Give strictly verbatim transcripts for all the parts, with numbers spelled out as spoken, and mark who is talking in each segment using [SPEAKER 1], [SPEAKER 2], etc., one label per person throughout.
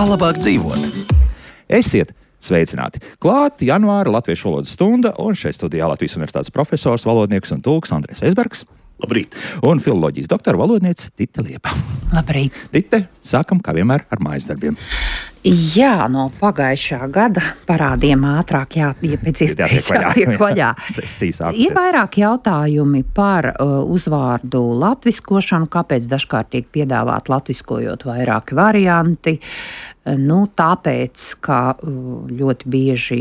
[SPEAKER 1] Kā labāk dzīvot? Esiet sveicināti! Klāt janvāra latviešu valodas stunda, un šeit studijā Latvijas universitātes profesors, valodnieks un tulks Andrejs Veisbergs.
[SPEAKER 2] Labrīt!
[SPEAKER 1] Un filoloģijas doktora valodniece Tite Liepa.
[SPEAKER 3] Labrīt!
[SPEAKER 1] Tite, sākam kā vienmēr ar mājas darbiem.
[SPEAKER 3] Jā, no pagājušā gada parādiem ātrāk jā, ja pēc iespējas jātiek vaļā. Ir vairāk jautājumi par uh, uzvārdu latviskošanu, kāpēc dažkārt tiek piedāvāt latviskojot vairāki varianti. Nu, tāpēc, ka ļoti bieži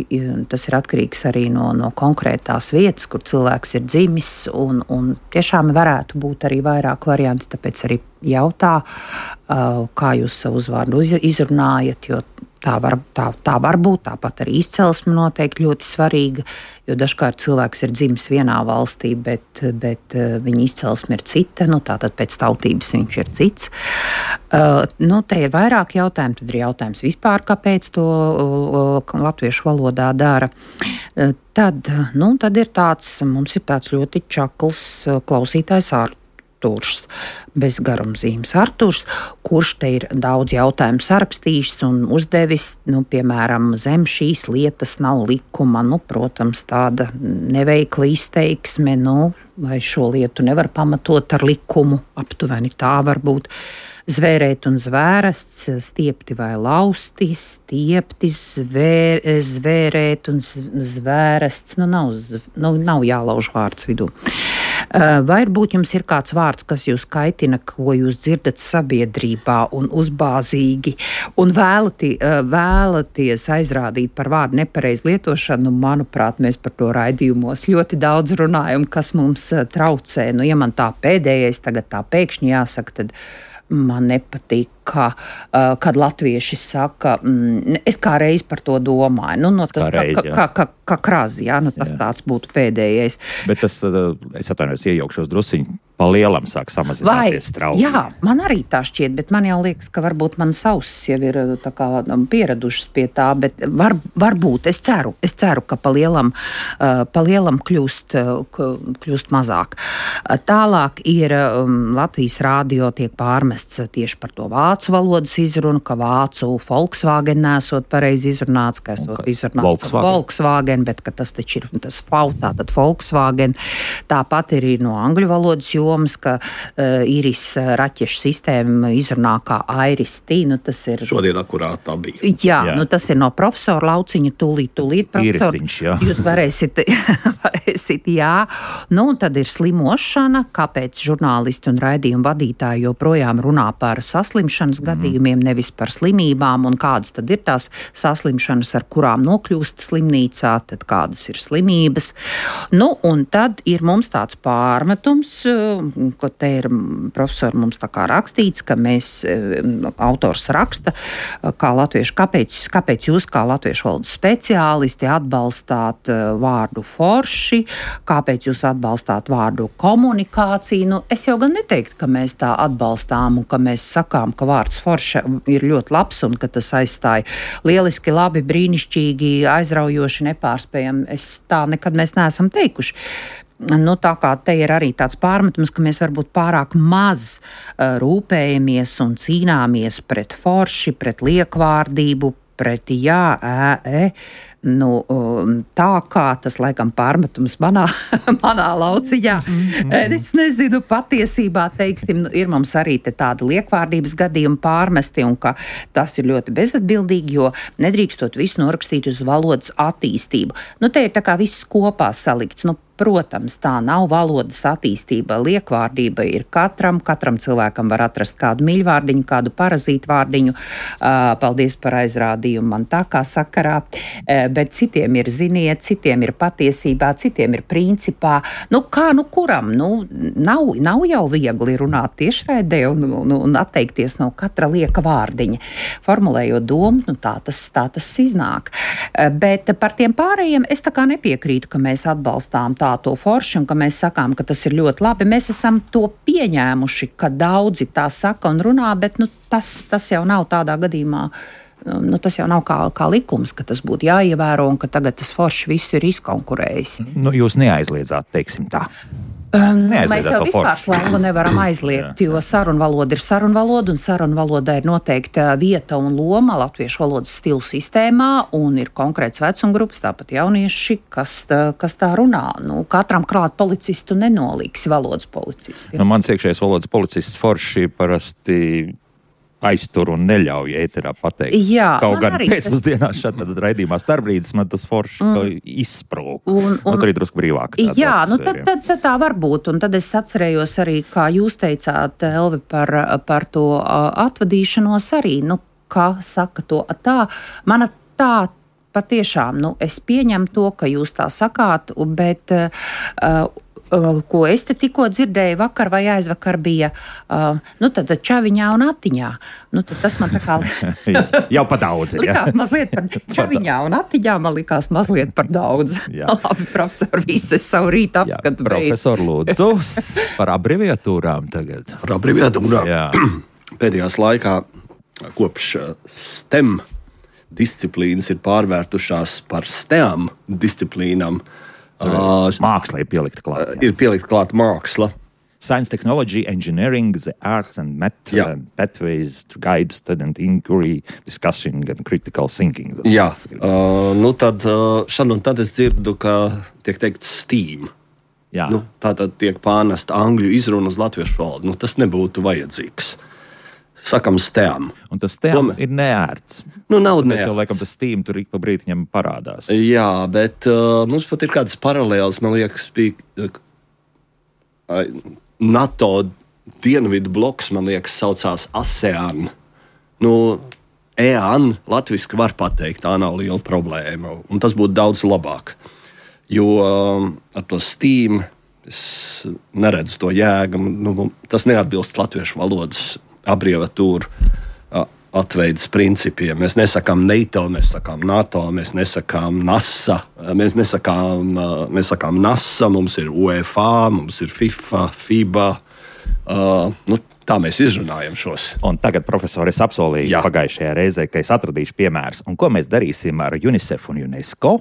[SPEAKER 3] tas ir atkarīgs arī no, no konkrētās vietas, kur cilvēks ir dzimis, un, un tiešām varētu būt arī vairāk varianti, tāpēc arī jautā, kā jūs savu uzvārdu izrunājat, jo tā var, tā, tā var būt, tāpat arī izcelsme noteikti ļoti svarīga, jo dažkārt cilvēks ir dzimis vienā valstī, bet, bet viņa izcelsme ir cita, nu tātad pēc tautības viņš ir cits. Uh, nu, te ir vairāk jautājumu, tad ir jautājums vispār, kāpēc to uh, latviešu valodā dara. Uh, tad, nu, tad ir tāds, mums ir tāds ļoti čakls uh, klausītājs ārkārtīgi. Arturs, bez garumzīmes Arturs, kurš te ir daudz jautājumu sarakstījis un uzdevis, nu, piemēram, zem šīs lietas nav likuma, nu, protams, tāda neveikla izteiksme, nu, vai šo lietu nevar pamatot ar likumu, aptuveni tā var būt. Zvērēt un zvērests, stiepti vai lausti, stiepti, zvēr, zvērēt un zvērests, nu nav, nu, nav jālauž vārds vidū. Varbūt jums ir kāds vārds, kas jūs kaitina, ko jūs dzirdat sabiedrībā un uzbāzīgi, un vēlati, vēlaties aizrādīt par vārdu nepareiz lietošanu, nu, manuprāt, mēs par to raidījumos ļoti daudz runājam, kas mums traucē. Nu, ja man tā pēdējais tagad tā pēkšņi jāsaka, tad man nepatīk, ka, uh, kad latvieši saka, mm, es kā reiz par to domāju. Nu, no tas,
[SPEAKER 1] reiz,
[SPEAKER 3] kā, kā, kā, kā krazi, jā, nu, tas jā. Tāds būtu pēdējais.
[SPEAKER 1] Bet tas, uh, es atvainojos, iejaukšos drusiņu, pa lielam sāk samazināties straumi.
[SPEAKER 3] Jā, man arī tā šķiet, bet man jau liekas, ka varbūt man sausis jau ir tā kā pieradušas pie tā, bet var, varbūt, es ceru, es ceru, ka pa lielam, uh, pa lielam kļūst, uh, kļūst mazāk. Uh, tālāk ir um, Latvijas rādio tiek pārmests tieši par to vācu valodas izrunu, ka vācu Volkswagen nesot pareizi izrunāts, ka esot izrunāts
[SPEAKER 1] Volkswagen.
[SPEAKER 3] Volkswagen, bet ka tas taču ir tas V, tātad Volkswagen. Tāpat ir no angļu valodas jomas, ka uh, Iris raķešu sistēma izrunā kā Iris T, nu tas ir...
[SPEAKER 2] Šodien akurāt tā bija.
[SPEAKER 3] Jā, jā, nu tas ir no profesora Lauciņa, tūlīt, tūlīt, profesor.
[SPEAKER 1] Irisiņš, jā.
[SPEAKER 3] Jūs varēsit, varēsit, jā. Nu, un tad ir slimošana, kāpēc žurnālisti un raidījumu vadītāji joprojām runā par saslimšanas mm. gadījumiem, nevis par slimībām, un kādas tad ir tās saslimšanas, ar kurām nokļūst slimnīcā, tad kādas ir slimības. Nu, un tad ir mums tāds pārmetums, ko te ir profesori mums tā kā rakstīts, ka mēs, autors raksta, kā latviešu, kāpēc, kāpēc jūs kā latviešu valodas speciālisti atbalstāt vārdu forši, kāpēc jūs atbalstāt vārdu komunikāciju. Nu, es jau gan neteiktu, ka mēs tā atbalstām un ka mēs sakām, ka vārds forša ir ļoti labs un ka tas aizstāja lieliski, labi, brīnišķīgi, aizraujoši, nepārspējami. Es tā nekad mēs neesam teikuši. Nu, tā kā te ir arī tāds pārmetums, ka mēs varbūt pārāk maz uh, rūpējamies un cīnāmies pret forši, pret liekvārdību, pret jā, ē, ē. Nu, tā kā tas laikam pārmetums manā, manā lauciņā. Es nezinu, patiesībā, teiksim, ir mums arī te tāda liekvārdības gadījuma pārmesti, un ka tas ir ļoti bezatbildīgi, jo nedrīkstot visu norakstīt uz valodas attīstību. Nu, te ir tā kā viss kopā salikts. Nu, protams, tā nav valodas attīstība. Liekvārdība ir katram, katram cilvēkam var atrast kādu mīļvārdiņu, kādu parazītu vārdiņu. Paldies par aizrādījumu man tā kā sakarā. Bet citiem ir ziniet, citiem ir patiesībā, citiem ir principā. Nu, kā nu kuram? Nu, nav, nav jau viegli runāt tiešraidē un, un, un atteikties no katra lieka vārdiņa. Formulējot domu, nu, tā tas, tā tas iznāk. Bet par tiem pārējiem es tā kā nepiekrītu, ka mēs atbalstām tā to forši un ka mēs sakām, ka tas ir ļoti labi. Mēs esam to pieņēmuši, ka daudzi tā saka un runā, bet nu, tas, tas jau nav tādā gadījumā. Nu, tas jau nav kā, kā likums, ka tas būtu jāievēro un ka tagad tas forši visu ir izkonkurējis.
[SPEAKER 1] Nu, jūs neaizliedzāt, teiksim tā.
[SPEAKER 3] Um, mēs jau vispār slengu nevaram aizliegt, jo sarunvaloda ir sarunvaloda, un sarunvalodai ir noteikta vieta un loma latviešu valodas stilu sistēmā, un ir konkrēts vecumgrupas, tāpat jaunieši, kas, kas tā runā. Nu, katram klāt policistu nenolīgs valodas policisti.
[SPEAKER 1] Nu, mans iekšējais valodas policists forši parasti aiztur un neļauj ēterā pateikt.
[SPEAKER 3] Jā,
[SPEAKER 1] kaut gan
[SPEAKER 3] arī
[SPEAKER 1] pēcpusdienās tas... šādā raidījumā starpbrīdis man tas forši mm. izsprūk. Un, un, un tur ir drusku brīvāk.
[SPEAKER 3] Jā, nu tad, tad, tad tā var būt. Un tad es atcerējos arī, kā jūs teicāt, Elvi, par, par to atvadīšanos arī, nu, kā saka to tā. Mana tā patiešām, nu, es pieņemu to, ka jūs tā sakāt, bet... Uh, ko es te tikko dzirdēju vakar vai aizvakar bija, uh, nu tad čaviņā un atiņā. Nu tad tas man tā kā...
[SPEAKER 1] Jau pa daudz ir, jā?
[SPEAKER 3] Likās mazliet par čaviņā un atiņā, man likās mazliet par daudz. Labi, profesor, vises savu rītu apskatu beidz.
[SPEAKER 1] Profesor, lūdzu, par abreviatūrām tagad.
[SPEAKER 2] Par abreviatūrām. Pēdējās laikā kopš STEM disciplīnas ir pārvērtušās par STEAM disciplīnām.
[SPEAKER 1] Uh, māksla ir pielikta klāt.
[SPEAKER 2] Ir pielikta klāt māksla.
[SPEAKER 1] Science, technology, engineering, the arts and math, uh, pathways to guide student inquiry, discussion and critical thinking.
[SPEAKER 2] Jā, uh, nu tad uh, šad un tad es dzirdu, ka tiek teikt STEAM.
[SPEAKER 1] Jā.
[SPEAKER 2] Nu, tātad tiek pārnesta angļu izruna uz latviešu valodu. Nu, tas nebūtu vajadzīgs. Sakam STEAM.
[SPEAKER 1] Un tas STEAM Tom... ir neērts.
[SPEAKER 2] Nu, nav
[SPEAKER 1] neērts.
[SPEAKER 2] Mēs
[SPEAKER 1] jau laikam tas STEAM tur ik pa brītiņam parādās.
[SPEAKER 2] Jā, bet uh, mums pat ir kādas paralēlas, man liekas, bija uh, NATO dienvidu bloks, man liekas, saucās ASEAN. Nu, EAN latviski var pateikt, tā nav liela problēma, un tas būtu daudz labāk. Jo um, ar to STEAM es neredzu to jēgu, nu, tas neatbilst latviešu valodas abreviatūru atveidas principiem. Mēs nesakām NATO, mēs sakām NATO, mēs nesakām NASA, mēs nesakām, mēs sakām NASA, mums ir UEFA, mums ir FIFA, FIBA. Uh, nu, tā mēs izrunājam šos.
[SPEAKER 1] Un tagad, profesori, es apsolīju Jā. pagājušajā reizē, ka es atradīšu piemērus. Un ko mēs darīsim ar UNICEF un UNESCO?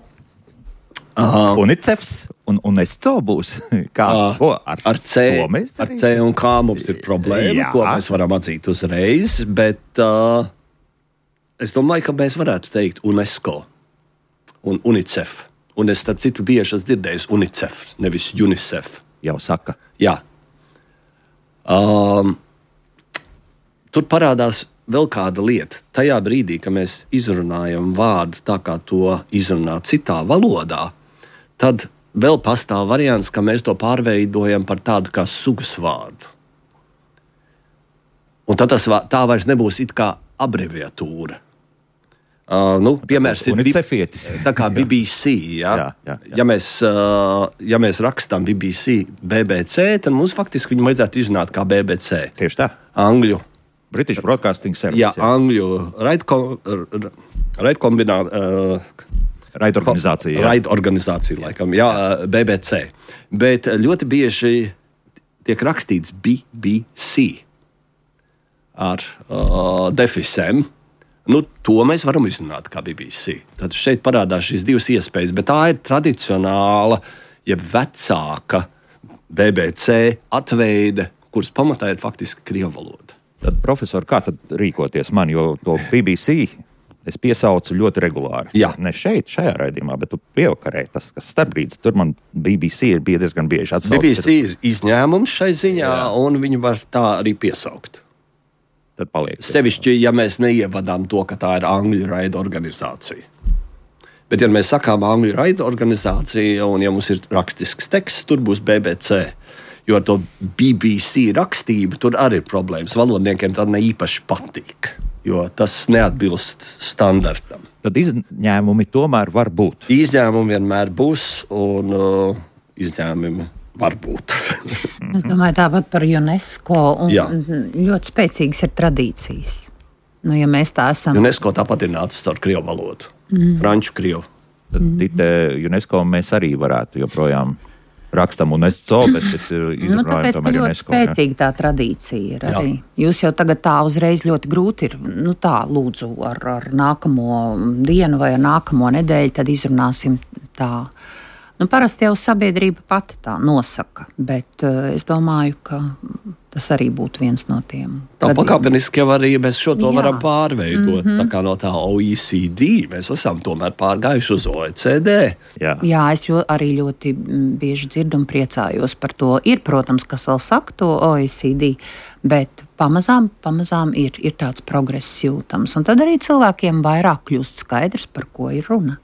[SPEAKER 1] Uh, UNICEFs un UNESCO būs. Kā, uh, ko, ar,
[SPEAKER 2] ar, C,
[SPEAKER 1] mēs
[SPEAKER 2] ar C un K mums ir problēma, Jā. ko mēs varam atzīt uzreiz, bet uh, es domāju, ka mēs varētu teikt UNESCO un UNICEF. Un es, starp citu, bieži esmu dzirdējis UNICEF, nevis UNICEF.
[SPEAKER 1] Jau saka.
[SPEAKER 2] Jā. Um, tur parādās vēl kāda lieta. Tajā brīdī, kad mēs izrunājam vārdu tā, kā to izrunā citā valodā, tad vēl pastāv variants, ka mēs to pārveidojam par tādu kā sugas vārdu. Un tad tas, tā vairs nebūs it kā abreviatūra. Uh, nu, piemērs ir
[SPEAKER 1] UNICEFietis.
[SPEAKER 2] Tā kā B B C. Ja,
[SPEAKER 1] jā, jā, jā.
[SPEAKER 2] Ja, mēs, uh, ja mēs rakstām B B C, B B C, tad mums faktiski viņu vajadzētu izrunāt kā B B C.
[SPEAKER 1] Tieši tā.
[SPEAKER 2] Angļu.
[SPEAKER 1] British Broadcasting Service.
[SPEAKER 2] Jā, jā. Angļu raidkombinācija. Uh,
[SPEAKER 1] Raidorganizācija. Jā.
[SPEAKER 2] Raidorganizācija, laikam, jā, B B C. Bet ļoti bieži tiek rakstīts B B C ar uh, defisēm. Nu, to mēs varam izrunāt kā B B C. Tad šeit parādās šīs divas iespējas, bet tā ir tradicionāla, jeb vecāka B B C atveide, kuras pamatā ir faktiski krievu valoda.
[SPEAKER 1] Tad, profesor, kā tad rīkoties man, jo to B B C es piesaucu ļoti regulāri.
[SPEAKER 2] Jā.
[SPEAKER 1] Ne šeit, šajā raidījumā, bet tu pievakarē, tas, kas starpbrīdis, tur man B B C ir bija diezgan bieži atsaucis.
[SPEAKER 2] B B C ir izņēmums šai ziņā, Jā. un viņu var tā arī piesaukt.
[SPEAKER 1] Tad paliek.
[SPEAKER 2] Sevišķi, ja mēs neievadām to, ka tā ir angļu raida organizācija. Bet, ja mēs sakām angļu raida organizācija, un ja mums ir rakstisks teksts, tur būs B B C. Jo ar to B B C rakstību tur arī ir problēmas. Valodniekiem tā ne īpaši patīk, jo tas neatbilst standartam.
[SPEAKER 1] Tad izņēmumi tomēr var būt.
[SPEAKER 2] Izņēmumi vienmēr būs, un uh, izņēmumi var būt.
[SPEAKER 3] Es domāju tāpat par UNESCO, un Jā. ļoti spēcīgas ir tradīcijas. Nu, ja mēs tā esam...
[SPEAKER 2] UNESCO tāpat ir nācis ar krievu valodu. Mm. Franču krievu.
[SPEAKER 1] Tad mm-hmm. UNESCO mēs arī varētu joprojām rakstam UNESCO, bet, bet izrunājam
[SPEAKER 3] nu, tāpēc,
[SPEAKER 1] tomēr
[SPEAKER 3] ļoti
[SPEAKER 1] UNESCO.
[SPEAKER 3] Spēcīga tā tradīcija ir arī. Jā. Jūs jau tagad tā uzreiz ļoti grūti ir, nu tā, lūdzu, ar, ar nākamo dienu vai ar nākamo nedēļu, tad izrunāsim tā. Nu, parasti jau sabiedrība pati tā nosaka, bet uh, es domāju, ka tas arī būtu viens no tiem.
[SPEAKER 2] Tā pakāpeniski jau arī mēs šo to
[SPEAKER 3] Jā.
[SPEAKER 2] varam pārveidot. Mm-hmm. Tā kā no tā O E C D mēs esam tomēr pārgājuši uz O E C D.
[SPEAKER 1] Jā,
[SPEAKER 3] Jā es jo, arī ļoti bieži dzirdu un priecājos par to. Ir, protams, kas vēl saka to O E C D, bet pamazām, pamazām ir, ir tāds progress jūtams. Un tad arī cilvēkiem vairāk kļūst skaidrs, par ko ir runa.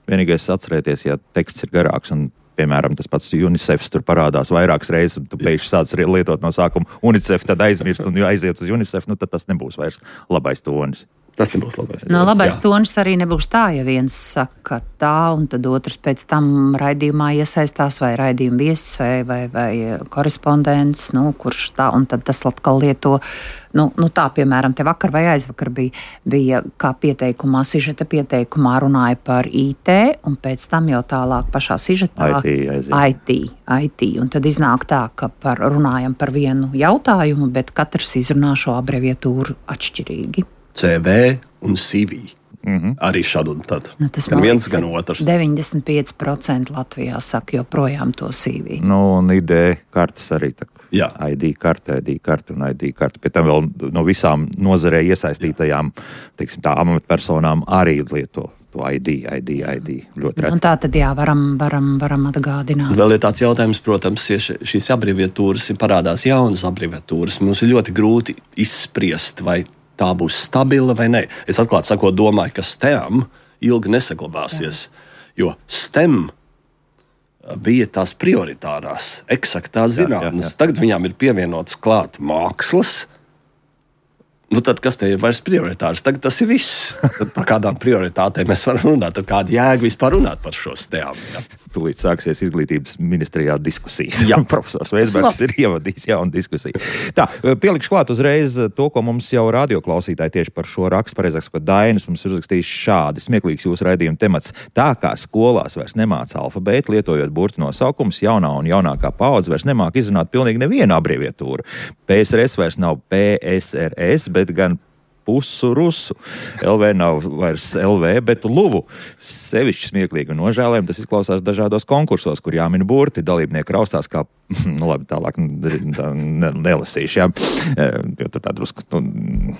[SPEAKER 1] vienīgais atcerēties, ja teksts ir garāks un, piemēram, tas pats UNICEF tur parādās vairākas reizes, un tu pēkšņi sāc lietot no sākuma UNICEF, tad aizmirst un aiziet uz UNICEF, nu tad tas nebūs vairs labais tonis.
[SPEAKER 2] Tas nebūs labais.
[SPEAKER 3] No labais tonis arī nebūs tā, ja viens saka tā, un tad otrs pēc tam raidījumā iesaistās, vai raidījuma viesis, vai, vai, vai korespondents, nu, kurš tā, un tad tas atkal lieto, nu, nu tā, piemēram, te vakar vai aizvakar bija, bija kā pieteikumā, sižeta pieteikumā runāja par I T, un pēc tam jau tālāk pašā sižetā
[SPEAKER 1] I T,
[SPEAKER 3] I T, I T, un tad iznāk tā, ka par, runājam par vienu jautājumu, bet katrs izrunā šo abreviatūru atšķirīgi.
[SPEAKER 2] C V un C V. Mm-hmm. Arī šādu un tad.
[SPEAKER 3] Nu, tas
[SPEAKER 2] gan viens,
[SPEAKER 3] liekas,
[SPEAKER 2] gan otrs.
[SPEAKER 3] deviņdesmit pieci procenti Latvijā saka joprojām to C V.
[SPEAKER 1] Nu, un I D kartes arī tā.
[SPEAKER 2] Jā.
[SPEAKER 1] I D karte, I D karte un I D karte. Pie tam vēl no visām nozarē iesaistītajām, teiksim tā, amatpersonām arī lieto to I D, I D, I D. Ļoti reti.
[SPEAKER 3] Un tā tad jā, varam, varam, varam atgādināt.
[SPEAKER 2] Vēl ir tāds jautājums, protams, ja šīs abreviatūras ir parādās jaunas abreviatūras, mums ir ļoti grūti izspriest, vai tā būs stabila vai nē. Es atklāti sakot, domāju, ka STEM ilgi nesaglabāsies, jā. Jo STEM bija tās prioritārās, eksaktās zinātnes. Tagad viņām ir pievienots klāt mākslas. Nu tad kas te ir vairs prioritārs? Tagad tas ir viss. Tad par kādām prioritātēm mēs varam runāt? Tad kāda jēga vispār runāt par šo STEM? Ja?
[SPEAKER 1] Tūlīt sāksies izglītības ministrijā diskusijas. Jā, profesors Veisbergs ir ievadījis jaunu diskusiju. Tā, pielikšu klāt uzreiz to, ko mums jau radioklausītāji tieši par šo rakstu, pareizāk sakot, Dainis mums ir uzrakstījis šādi. Smieklīgs jūsu raidījuma temats. Tā kā skolās vairs nemāca alfabētu, lietojot burtu nosaukumus, jaunā un jaunākā paudze vairs nemāk izrunāt pilnīgi nevienu abreviatūru. P S R S vairs nav P S R S, bet gan pusu rusu. L V nav vairs L V, bet luvu. Sevišķi smieklīgi un nožēlējami tas izklausās dažādos konkursos, kur jāmin burti, dalībnieki raustās kā, nu labi, tālāk ne, nelasīšu, jā, jo tur tā drusku, nu,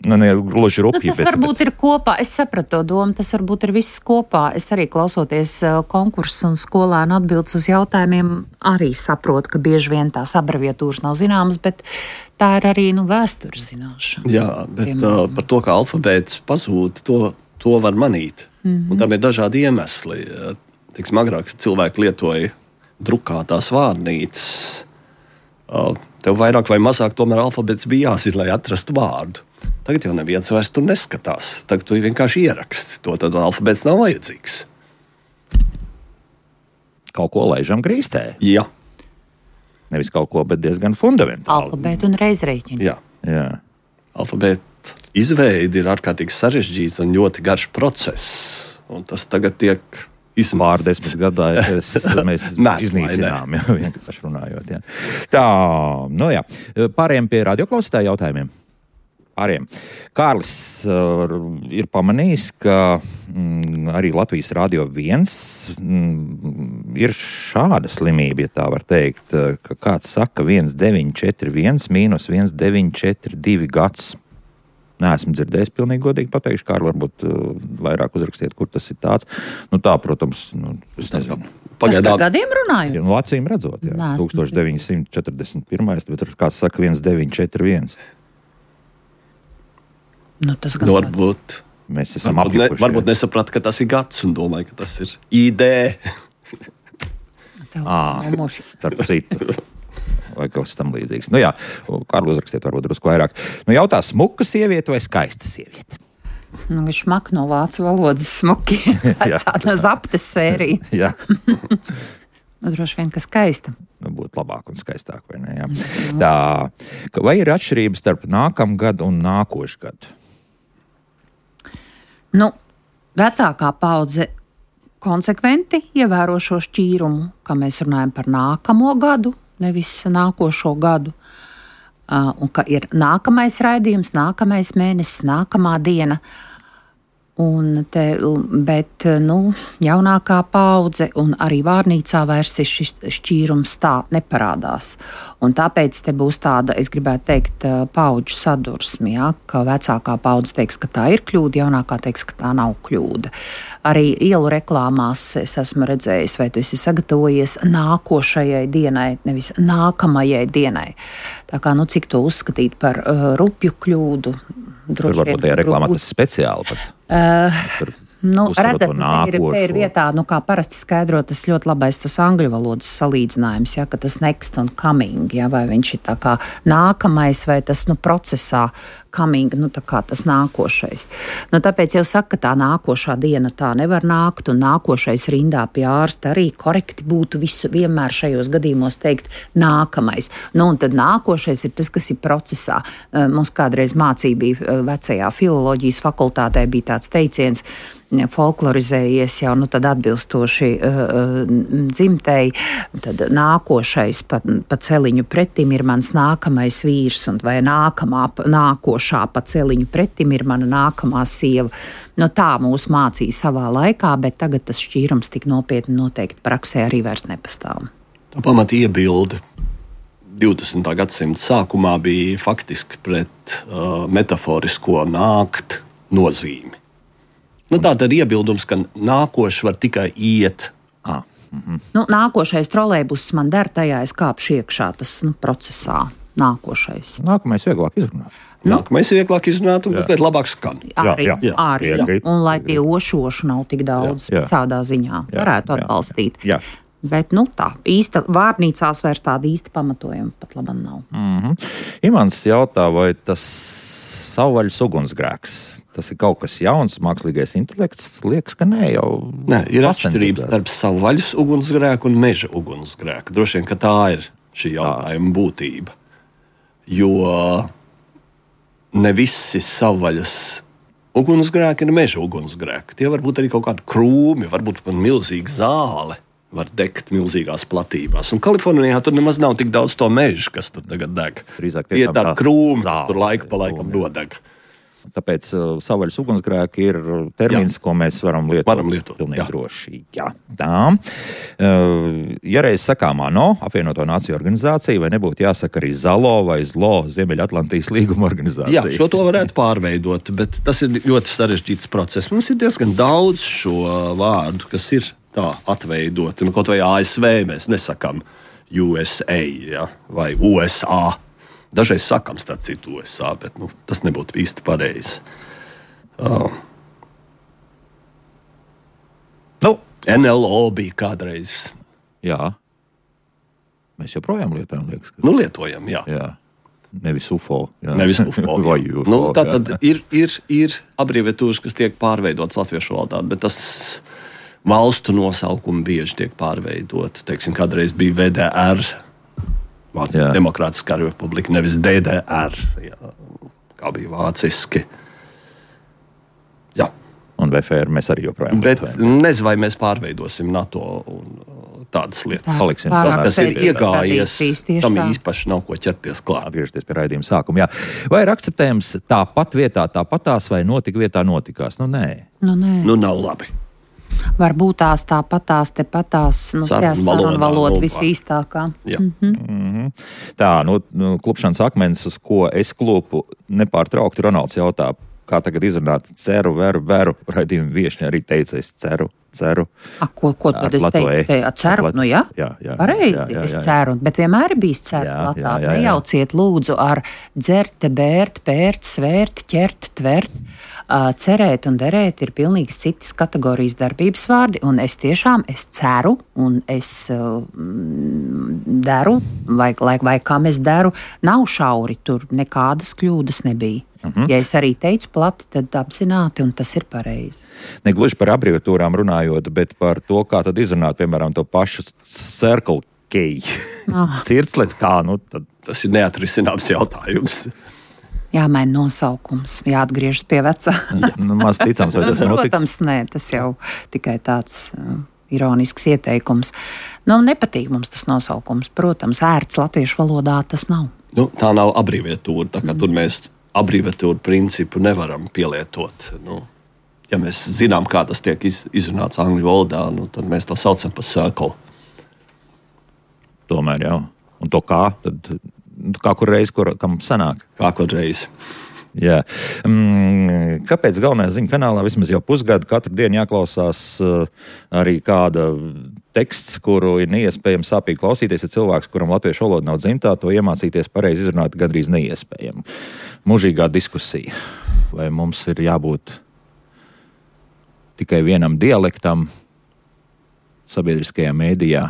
[SPEAKER 1] nu ne gluži rupji.
[SPEAKER 3] Nu, tas
[SPEAKER 1] bet,
[SPEAKER 3] varbūt bet... ir kopā, es sapratu to domu, tas varbūt ir viss kopā. Es arī klausoties konkursus un skolēnu atbildes uz jautājumiem, arī saprotu, ka bieži vien tās abreviatūras nav zināmas, bet tā ir arī, nu, vēstures zināšana.
[SPEAKER 2] Jā, bet uh, par to, ka alfabēts pazūd, to, to var manīt. Mm-hmm. Un tam ir dažādi iemesli. Teiksim, agrāk cilvēki lietoja drukātās vārnīcas. Uh, tev vairāk vai mazāk tomēr alfabēts bija jāzina, lai atrastu vārdu. Tagad jau neviens vairs tur neskatās. Tagad tu vienkārši ieraksti. To tad alfabēts nav vajadzīgs.
[SPEAKER 1] Kaut ko laižam grīstē.
[SPEAKER 2] Jā.
[SPEAKER 1] Nevis kaut ko, bet diezgan fundamentāli.
[SPEAKER 3] Alfabētu un reizreiķinu.
[SPEAKER 2] Jā.
[SPEAKER 1] Jā.
[SPEAKER 2] Alfabēta izveide ir ārkārtīgi sarežģīts un ļoti garš process. Un tas tagad tiek izmantots.
[SPEAKER 1] Pār desmit gadā es, mēs iznīcinām, jā, vienkārši runājot. Jā. Tā, nu jā. Pārējiem pie radioklausītāju jautājumiem. Pāriem. Kārlis uh, ir pamanījis, ka mm, arī Latvijas Rādio viens mm, ir šāda slimība, ja tā var teikt, ka kāds saka viens deviņi četri viens mīnus viens deviņi četri divi gads. Neesmu dzirdējis pilnīgi godīgi pateikšu, Kārli, varbūt uh, vairāk uzrakstiet, kur tas ir tāds. Nu tā, protams, nu, es nezinu.
[SPEAKER 3] Pagaidām. Par gadiem runāju?
[SPEAKER 1] Nu, acīm redzot, jā. Nā, deviņi četrdesmit pirmais, bet kāds saka viens deviņi četri viens.
[SPEAKER 3] Nu, tas
[SPEAKER 2] nu, varbūt
[SPEAKER 1] mēs esam
[SPEAKER 2] varbūt,
[SPEAKER 1] apjukuši,
[SPEAKER 2] ne, varbūt nesaprāt, ka tas ir gads un domāju, ka tas ir I D.
[SPEAKER 1] Ā, starp citu. Vai kaut kas tam līdzīgs. Nu jā, Kārli uzrakstiet varbūt drusku vairāk. Nu jautā, smuka sieviete vai skaista sieviete?
[SPEAKER 3] Nu, viņš mak no vācu valodas smuki. Tāda zaptes sērija.
[SPEAKER 1] Jā.
[SPEAKER 3] Nu, droši vien, ka skaista.
[SPEAKER 1] Nu, būtu labāk un skaistāk, vai ne? Jā. Tā, vai ir atšķirības starp nākamgadu un nākošu gadu?
[SPEAKER 3] Nu, vecākā paudze konsekventi ievēro šo šķīrumu, ka mēs runājam par nākamo gadu, nevis nākošo gadu. Uh, un ka ir nākamais raidījums, nākamais mēnesis, nākamā diena. Un te, bet nu, jaunākā paudze un arī vārnīcā vairs šis šķīrums tā neparādās. Un tāpēc te būs tāda, es gribētu teikt, paudžu sadursme, ja? Ka vecākā paudze teiks, ka tā ir kļūda, jaunākā teiks, ka tā nav kļūda. Arī ielu reklāmās es esmu redzējis, vai tu esi sagatavojies nākošajai dienai, nevis nākamajai dienai. Tā kā, nu, cik to uzskatīt par uh, rupju kļūdu?
[SPEAKER 1] Tur varbūt tajā reklāmā tas speciāli pat.
[SPEAKER 3] Uh, nu, redzat, te ir, te ir vietā, nu, kā parasti skaidro, tas ļoti labais tas angļu valodas salīdzinājums, ja, ka tas next un coming, ja, vai viņš ir tā kā nākamais, vai tas, nu, procesā coming, nu, tā kā tas nākošais. Nu, tāpēc jau saka, ka tā nākošā diena tā nevar nākt, un nākošais rindā pie ārsta arī korekti būtu visu vienmēr šajos gadījumos teikt nākamais. Nu, un tad nākošais ir tas, kas ir procesā. Mums kādreiz mācība bija vecajā filoloģijas fakultātē, bija tāds teiciens, folklorizējies jau, nu tad atbilstoši uh, dzimtei, tad nākošais pa, pa celiņu pretim ir mans nākamais vīrs, un vai nākamā, nākošā pa celiņu pretim ir mana nākamā sieva. Nu tā mūs mācīja savā laikā, bet tagad tas šķīrums tik nopietni noteikti praksē arī vairs nepastāv.
[SPEAKER 2] Tā pamata iebilde divdesmitā gadsimta sākumā bija faktiski pret uh, metaforisko nākt nozīmi. Nu, tā tad iebildums, ka nākošais var tikai iet.
[SPEAKER 1] Ah. Mm-hmm.
[SPEAKER 3] Nu, nākošais trolejbuss man der, tajā es kāpšu iekšā, tas nu, procesā. Nākošais.
[SPEAKER 1] Nākamais vieglāk izrunāt.
[SPEAKER 2] Nu. Nākamais vieglāk izrunāt, un tas labāk skan.
[SPEAKER 3] Arī,
[SPEAKER 1] jā, jā.
[SPEAKER 3] arī. Jā. Un lai tie ošoši nav tik daudz
[SPEAKER 1] jā.
[SPEAKER 3] Visādā ziņā,
[SPEAKER 1] jā.
[SPEAKER 3] varētu atbalstīt.
[SPEAKER 1] Jā. Jā.
[SPEAKER 3] Bet, nu tā, īsta vārnīcās vairs tāda īsta pamatojuma pat labam nav.
[SPEAKER 1] Mm-hmm. Imants jautā, vai tas savvaļas ugunsgrēks, tas ir kaut kas jauns, mākslīgais intelekts, liekas, ka nē, jau.
[SPEAKER 2] Nē, ir atšķirības starp savvaļas ugunsgrēku un meža ugunsgrēku. Droši vien, ka tā ir šī jautājuma tā. Būtība. Jo ne visi savvaļas ugunsgrēki ir meža ugunsgrēki. Tie var būt arī kaut kādi krūmi, varbūt pat milzīga zāle var degt milzīgās platībās. Un Kalifornijā tur nemaz nav tik daudz to mežu, kas tur tagad deg.
[SPEAKER 1] Drīzāk
[SPEAKER 2] tie ir tādi krūmi,
[SPEAKER 1] zāle,
[SPEAKER 2] tur laika pa laikam nodeg.
[SPEAKER 1] Tāpēc uh, savvaļas ugunsgrēki ir termins, jā. Ko mēs varam lietot,
[SPEAKER 2] varam lietot
[SPEAKER 1] pilnīgi
[SPEAKER 2] jā.
[SPEAKER 1] Droši. Jā. Tā. Uh, ja reiz sakām ANO, apvienoto nāciju organizācija, vai nebūtu jāsaka arī ZALO vai ZLO, Ziemeļatlantijas līguma organizācija?
[SPEAKER 2] Jā, šo to varētu pārveidot, bet tas ir ļoti sarežģīts process. Mums ir diezgan daudz šo vārdu, kas ir tā atveidoti. Nu, kaut vai A S V mēs nesakām U S A, ja, vai U S A. Dažreiz sakām, starp citu, U S A, bet nu, tas nebūtu īsti pareizi. Uh.
[SPEAKER 1] Nu.
[SPEAKER 2] N L O bija kādreiz.
[SPEAKER 1] Jā. Mēs joprojām lietojam, liekas. Ka...
[SPEAKER 2] Nu, lietojam, jā.
[SPEAKER 1] jā. Nevis U F O. Jā.
[SPEAKER 2] Nevis U F O.
[SPEAKER 1] Vai U F O.
[SPEAKER 2] Nu, tā tad ir, ir, ir abreviatūras, kas tiek pārveidotas latviešu valodā, bet tas valstu nosaukumi bieži tiek pārveidoti. Teiksim, kādreiz bija V D R, Vācijas Demokrātiskā republika, nevis D D R, jā, kā bija vāciski. Jā.
[SPEAKER 1] Un V F R mēs arī joprojām
[SPEAKER 2] Bet
[SPEAKER 1] lietojam.
[SPEAKER 2] nezinu, vai mēs pārveidosim NATO un tādas lietas.
[SPEAKER 1] Paliksim.
[SPEAKER 2] Tas, kas ir iegājies, tam
[SPEAKER 3] tā.
[SPEAKER 2] īpaši nav ko ķerties klāt.
[SPEAKER 1] Atgriežties pie raidījuma sākuma. Jā. Vai ir akceptējams tāpat vietā tāpatās vai notika vietā notikās? Nu, nē.
[SPEAKER 3] Nu, nē.
[SPEAKER 2] Nu, nav labi.
[SPEAKER 3] Varbūt tās tāpatās, tepatās, nu,
[SPEAKER 2] sarunu valoda,
[SPEAKER 3] valoda visīstākā.
[SPEAKER 2] Mm-hmm.
[SPEAKER 1] Mm-hmm. Tā, nu, nu, klupšanas akmens, uz ko es klupu nepārtraukti, Ronalds jautā, kā tagad izrunāt ceru, veru, veru. Raidījuma viešņa arī teica, es ceru, ceru.
[SPEAKER 3] A, ko, ko tad es teicu? Ceru, nu jā,
[SPEAKER 1] jā, jā
[SPEAKER 3] pareizi,
[SPEAKER 1] jā, jā, jā,
[SPEAKER 3] es
[SPEAKER 1] jā.
[SPEAKER 3] ceru, bet vienmēr ir bijis ceru
[SPEAKER 1] Jā,
[SPEAKER 3] latāt.
[SPEAKER 1] jā, jā, jā.
[SPEAKER 3] Nejauciet lūdzu ar dzert, bērt, pērt, svērt, ķert, tvert. Uh, cerēt un derēt ir pilnīgi citas kategorijas darbības vārdi, un es tiešām es ceru, un es uh, deru, vai, vai, vai kam es deru, nav šauri, tur nekādas kļūdas nebija. Uh-huh. Ja es arī teicu plati, tad apzināti, un tas ir pareizi.
[SPEAKER 1] Ne gluži par abreviatūrām runājot, bet par to, kā tad izrunāt, piemēram, to pašu Circle K.
[SPEAKER 3] Oh.
[SPEAKER 1] Circlet kā, nu tad.
[SPEAKER 2] Tas ir neatrisināms jautājums.
[SPEAKER 3] Jāmaina nosaukums, jāatgriežas pie vecā.
[SPEAKER 1] Nu, maz ticams, vai tas notiks?
[SPEAKER 3] Protams, nē, tas jau tikai tāds uh, ironisks ieteikums. Nu, nepatīk mums tas nosaukums. Protams, ērts latviešu valodā tas nav.
[SPEAKER 2] Nu, tā nav abreviatūra, tā kā mm. tur mēs abreviatūru principu nevaram pielietot. Nu, ja mēs zinām, kā tas tiek iz, izrunāts angļu valodā, nu, tad mēs to saucam par circle.
[SPEAKER 1] Tomēr, jā. Un to kā? Tad, kā kur reiz, kur, kam sanāk?
[SPEAKER 2] Kā kur reiz.
[SPEAKER 1] Jā. Mm, kāpēc galvenajā ziņu kanālā vismaz jau pusgadu katru dienu jāklausās uh, arī kāda teksts, kuru ir neiespējami sāpīgi klausīties, ja cilvēks, kuram latviešu valoda nav dzimtā, to iemācīties pareizi izrunāt gandrīz neiespējami. Mūžīgā diskusija. Vai mums ir jābūt tikai vienam dialektam sabiedriskajā mēdījā?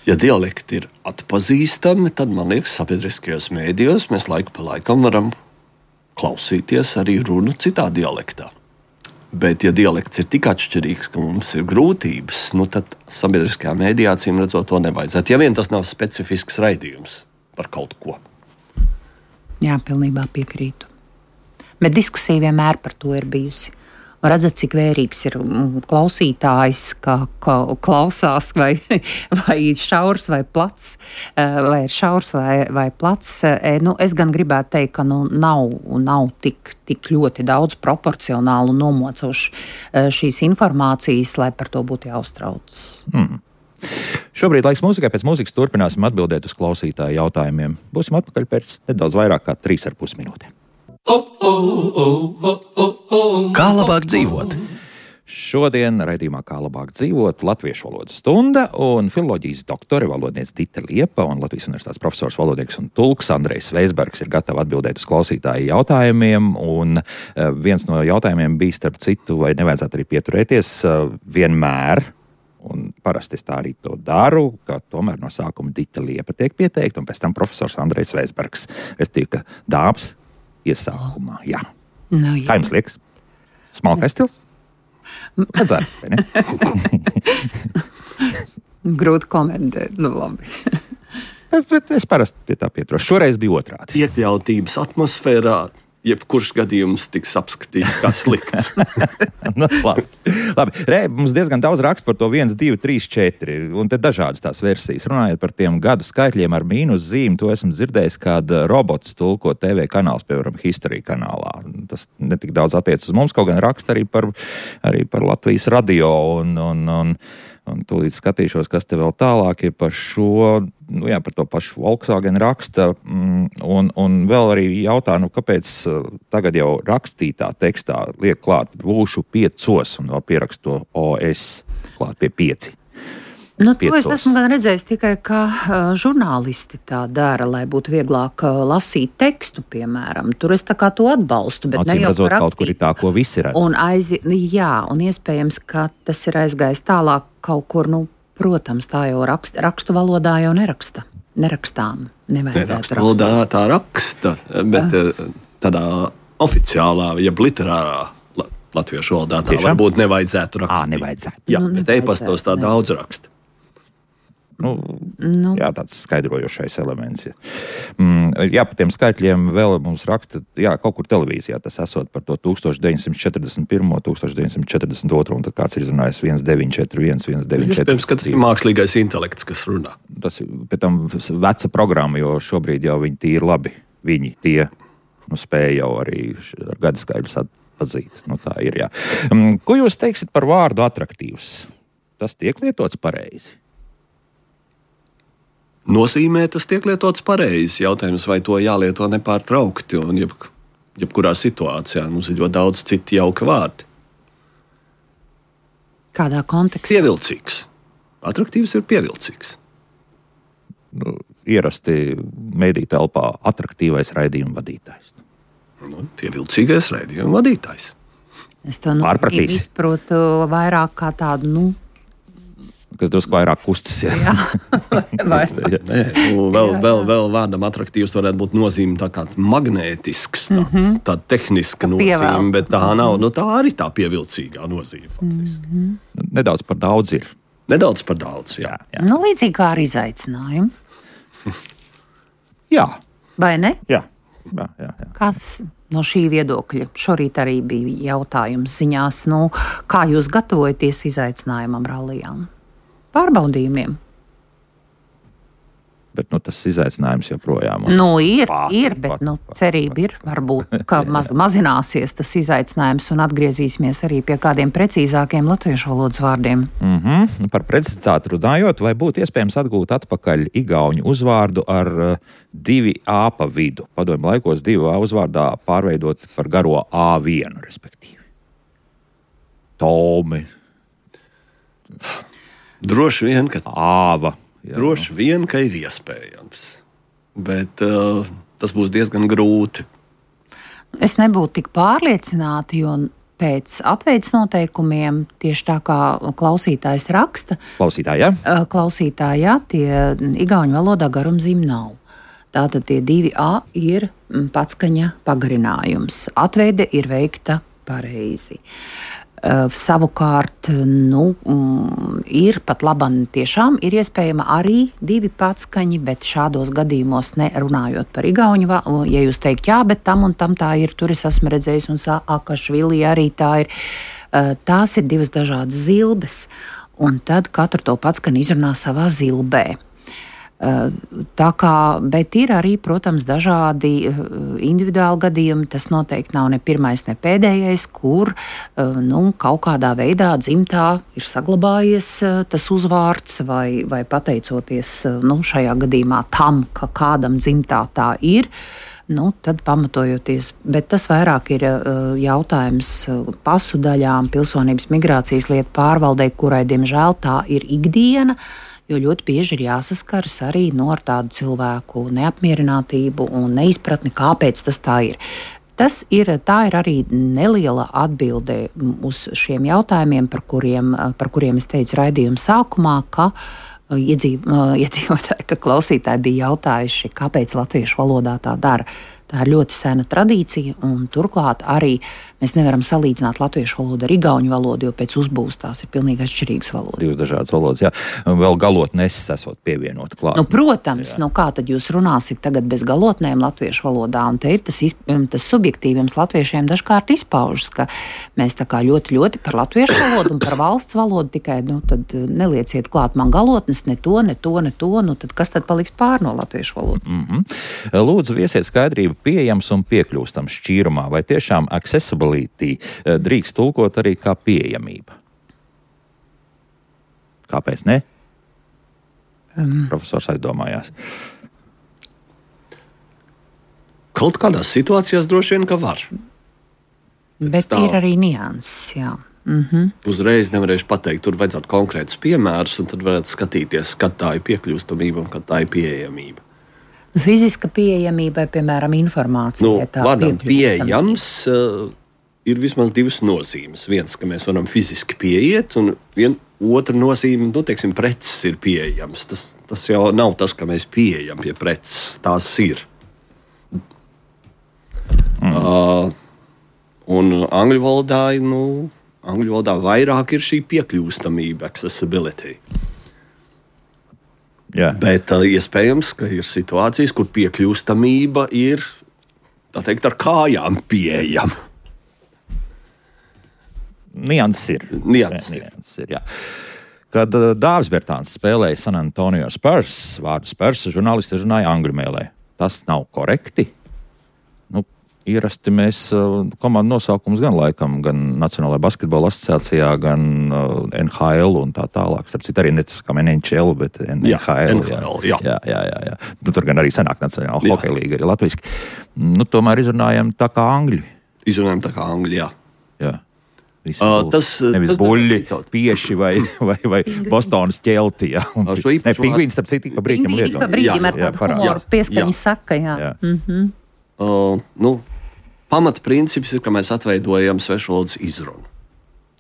[SPEAKER 2] Ja dialekti ir atpazīstami, tad, man liekas, sabiedriskajos mēdījos mēs laiku pa laikam varam klausīties arī runu citā dialektā. Bet, ja dialekts ir tik atšķirīgs, ka mums ir grūtības, nu tad sabiedriskajā mēdījā cīm redzot to nevajadzētu. Ja vien tas nav specifisks raidījums par kaut ko.
[SPEAKER 3] Jā, pilnībā piekrītu. Bet diskusija vienmēr par to ir bijusi. Redzat, cik vērīgs ir klausītājs, kā klausās, vai, vai šaurs vai plats, vai ir šaurs vai, vai plats. Nu, es gan gribētu teikt, ka nu, nav, nav tik, tik ļoti daudz proporcionālu nomocoši šīs informācijas, lai par to būtu jāuztrauc. Mm.
[SPEAKER 1] Šobrīd laiks mūzikai, pēc mūzikas turpināsim atbildēt uz klausītāju jautājumiem. Būsim atpakaļ pēc nedaudz vairāk kā trīs ar pus minūtēm.
[SPEAKER 4] Kā labāk dzīvot?
[SPEAKER 1] Šodien raidījumā Kā labāk dzīvot latviešu valodas stunda un filoloģijas doktore valodniece Dita Liepa un Latvijas universitātes profesors valodnieks un tulks Andrejs Veisbergs ir gatavi atbildēt uz klausītāju jautājumiem. Un viens no jautājumiem bija, starp citu, vai nevajadzētu arī pieturēties vienmēr, un parasti es tā arī to daru, ka tomēr no sākuma Dita Liepa tiek pieteikta un pēc tam profesors Andrejs Veisbergs. Es tiku dāmas iesākumā, jā.
[SPEAKER 3] Nu, jā.
[SPEAKER 1] Kā jums liekas? Smalkais stils? Redzēt, vai ne?
[SPEAKER 3] Grūti komentēt, nu labi.
[SPEAKER 1] bet, bet es parasti pie tā pieturos. Šoreiz bija otrādi.
[SPEAKER 2] Iekļautības atmosfērā jebkurš gadījums tiks apskatīts kā slikts.
[SPEAKER 1] nu, labi. labi. Re, mums diezgan daudz raksta par to viens, divi, trīs, četri, un te dažādas tās versijas. Runājot par tiem gadu skaitļiem ar mīnus zīmi, to esmu dzirdējis, kad robots tulko T V kanāls, piemēram, History kanālā. Tas netik daudz attiec uz mums, kaut gan raksta arī par, arī par Latvijas radio, un, un, un, un tūlīt skatīšos, kas te vēl tālāk ir par šo, nu jā, par to pašu Volkswagen raksta, un, un vēl arī jautā, nu kāpēc tagad jau rakstītā tekstā liek klāt būšu piecos, un vēl pierakst to O S klāt pie pieci.
[SPEAKER 3] Nu, to es esmu gan redzējis tikai, ka uh, žurnālisti tā dara, lai būtu vieglāk uh, lasīt tekstu, piemēram. Tur es tā kā to atbalstu, bet
[SPEAKER 1] Acīm
[SPEAKER 3] ne jau
[SPEAKER 1] redzot,
[SPEAKER 3] rakstīt.
[SPEAKER 1] kaut kur ir tā, ko visi redz.
[SPEAKER 3] Un aizi, jā, un iespējams, ka tas ir aizgājis tālāk kaut kur, nu, protams, tā jau rakst, rakstu valodā jau neraksta. Nerakstām, nevajadzētu rakstīt.
[SPEAKER 2] Valodā tā raksta, bet uh. tādā oficiālā, jeb literārā latviešu valodā tā
[SPEAKER 1] Tiešām?
[SPEAKER 2] Varbūt nevajadzētu rakstīt.
[SPEAKER 1] Ā, nevajadzētu.
[SPEAKER 2] Jā,
[SPEAKER 3] Nu,
[SPEAKER 2] bet e-pastos tā
[SPEAKER 3] nevajadzētu,
[SPEAKER 2] daudz raksta.
[SPEAKER 1] Nu,
[SPEAKER 3] Nu.
[SPEAKER 1] jā, tāds skaidrojošais elements. Jā, mm, jā par tiem skaitļiem vēl mums raksta, jā, kaut kur televīzijā tas esot par to tūkstoš deviņsimt četrdesmit pirmo, tūkstoš deviņsimt četrdesmit otro, un tad kāds ir izrunājis viens deviņi četri viens, viens deviņi četri.
[SPEAKER 2] Iespējams, ka tas ir mākslīgais intelekts, kas runā.
[SPEAKER 1] Tas ir pēc tam veca programma, jo šobrīd jau viņi tīri labi. Viņi tie nu, spēja jau arī ar gadu skaidrs atpazīt. Nu, tā ir, jā. Um, ko jūs teiksit par vārdu atraktīvs? Tas tiek lietots pareizi?
[SPEAKER 2] Nozīmē tas tiek lietots pareizi. Jautājums, vai to jālieto nepārtraukti un jeb, jebkurā situācijā. Mums ir ļoti daudz citu jauka vārdi.
[SPEAKER 3] Kādā kontekstā?
[SPEAKER 2] Pievilcīgs. Atraktīvs ir pievilcīgs.
[SPEAKER 1] Nu, ierasti mediju telpā atraktīvais raidījuma vadītājs.
[SPEAKER 2] Nu, pievilcīgais raidījuma vadītājs.
[SPEAKER 3] Es to nu, izprotu vairāk kā tādu, nu,
[SPEAKER 1] kas drusku vairāk kustas. Jā,
[SPEAKER 3] jā. Vai...
[SPEAKER 2] Nē, nu, vēl, jā, jā. Vēl, vēl vārdam atraktīvs varētu būt nozīme tā kāds magnētisks, tāds, mm -hmm. tāda tehniska nozīme, bet tā nav, nu tā arī tā pievilcīgā nozīme faktiski. Mm
[SPEAKER 1] -hmm. Nedaudz par daudz ir.
[SPEAKER 2] Nedaudz par daudz, jā.
[SPEAKER 1] jā, jā.
[SPEAKER 3] Nu, līdzīgi kā ar izaicinājumu.
[SPEAKER 1] jā.
[SPEAKER 3] Vai ne?
[SPEAKER 1] Jā. Jā, jā, jā.
[SPEAKER 3] Kas no šī viedokļa? Šorīt arī bija jautājums ziņās, nu, kā jūs gatavojaties izaicinājumam rallijām? Pārbaudījumiem.
[SPEAKER 1] Bet nu, tas izaicinājums joprojām.
[SPEAKER 3] Nu, ir,
[SPEAKER 1] Pat,
[SPEAKER 3] ir,
[SPEAKER 1] pat,
[SPEAKER 3] bet
[SPEAKER 1] pat,
[SPEAKER 3] nu,
[SPEAKER 1] pat,
[SPEAKER 3] cerība ir, varbūt, ka maz, mazināsies tas izaicinājums un atgriezīsimies arī pie kādiem precīzākiem latviešu valodas vārdiem.
[SPEAKER 1] Mm-hmm. Par precizitāti runājot, vai būtu iespējams atgūt atpakaļ igauņu uzvārdu ar uh, divi A pa vidu? Padomju laikos divu A uzvārdā pārveidot par garo A vienu, respektīvi. Tomi.
[SPEAKER 2] Droši vien, ka
[SPEAKER 1] Āva. Jā.
[SPEAKER 2] Droši vien, ka ir iespējams, bet uh, tas būs diezgan grūti.
[SPEAKER 3] Es nebūtu tik pārliecināta, jo pēc atveides noteikumiem, tieši tā kā klausītājs raksta,
[SPEAKER 1] Klausītāji, jā?
[SPEAKER 3] klausītājā tie igauņu valodā garumzīme nav. Tātad tie divi A ir patskaņa pagarinājums. Atveide ir veikta pareizi. Uh, savukārt, nu, mm, ir pat labam tiešām ir iespējama arī divi patskaņi, bet šādos gadījumos nerunājot par igauņu, ja jūs teikt, jā, bet tam un tam tā ir, tur es esmu redzējis un Saakašvili arī tā ir, uh, tās ir divas dažādas zilbes, un tad katru to patskani izrunā savā zilbē. Tā kā, bet ir arī, protams, dažādi individuāli gadījumi. Tas noteikti nav ne pirmais, ne pēdējais, kur nu, kaut kādā veidā dzimtā ir saglabājies tas uzvārds, vai, vai pateicoties nu, šajā gadījumā tam, ka kādam dzimtā tā ir. Nu, tad pamatojoties, bet tas vairāk ir uh, jautājums pasu daļām, pilsonības migrācijas lietu pārvaldei, kurai, diemžēl, tā ir ikdiena, jo ļoti bieži ir jāsaskaras arī no ar tādu cilvēku neapmierinātību un neizpratni, kāpēc tas tā ir. Tas ir, tā ir arī neliela atbilde uz šiem jautājumiem, par kuriem, par kuriem es teicu raidījuma sākumā, ka Iedzīv, iedzīvotāji, ka klausītāji bija jautājuši, kāpēc latviešu valodā tā dara. Tā ir ļoti sena tradīcija, un turklāt arī mēs nevaram salīdzināt latviešu valodu ar igauņu valodu, jo pēc uzbūves tās ir pilnīgi atšķirīgas valodas.
[SPEAKER 1] Divas dažādas valodas, jā. Vēl galotnes esot pievienot klāt.
[SPEAKER 3] Nu, protams, jā. Nu kā tad jūs runāsiet tagad bez galotnēm latviešu valodā, un te ir tas, tas subjektīvums latviešiem dažkārt izpaužas, ka mēs tā kā ļoti, ļoti par latviešu valodu un par valsts valodu tikai, nu, tad nelieciet klāt man galotnes, ne to, ne to, ne to, nu, tad kas tad paliks pār no latviešu valodas?
[SPEAKER 1] Mm-hmm. Lūdzu, viesiet skaidrību pieejams un piekļūstams šķīrumā, vai tiešām accessibility drīkst tulkot arī kā pieejamība? Kāpēc ne? Um. Profesors aizdomājās.
[SPEAKER 2] Kaut kādās situācijās droši vien, ka var.
[SPEAKER 3] Bet tā ir arī nianses, jā. Mm-hmm.
[SPEAKER 2] Uzreiz nevarēšu pateikt, tur vajadzētu konkrētus piemērus, un tad varētu skatīties, kad tā ir piekļūstamība un kad tā ir pieejamība.
[SPEAKER 3] Fiziska pieejamība, piemēram, informācija.
[SPEAKER 2] Nu, vārdam pieejams uh, ir vismaz divas nozīmes. Viens, ka mēs varam fiziski pieiet, un vien, otra nozīme, nu, teiksim, preces ir pieejams. Tas, tas jau nav tas, ka mēs pieejam pie preces, tās ir. Mm. Uh, un angļu valodā, nu, angļu valodā vairāk ir šī piekļūstamība, accessibility.
[SPEAKER 1] Jā.
[SPEAKER 2] Bet uh, iespējams, ka ir situācijas, kur piekļūstamība ir, tā teikt, ar kājām pieejama.
[SPEAKER 1] Nianses ir.
[SPEAKER 2] Nianses ir.
[SPEAKER 1] Nianses ir, jā. Kad uh, Dāvis Bertāns spēlēja San Antonio Spurs, vārdu Spurs, žurnālisti runāja angļu mēlē. Tas nav korekti? Nu, ierasti mēs uh, komandu nosaukums gan laikam, gan Nacionālajā basketbola asociācijā, gan uh, N H L un tā tālāk. Starp citu arī ne tas kā N H L, bet N H L.
[SPEAKER 2] Jā, N H L, jā.
[SPEAKER 1] Jā, jā, jā, jā. Nu, tur gan arī senāk Nacionāla hokeja līga arī latviski. Nu, tomēr izrunājam tā kā angļi.
[SPEAKER 2] Izrunājam tā kā angļi, jā.
[SPEAKER 1] Jā.
[SPEAKER 2] Uh, tas,
[SPEAKER 1] nevis
[SPEAKER 2] tas
[SPEAKER 1] buļļi, pieši vai, vai, vai Bostonas ķelti. Jā. Ne, pingvīns, starp citu, pa brīdim lietot.
[SPEAKER 3] Pa brīdim ar kādu humoru pieskaņu saka, jā. jā. Mm-hmm.
[SPEAKER 2] Uh, nu, pamata princips ir, ka mēs atveidojam svešvalodas izrunu.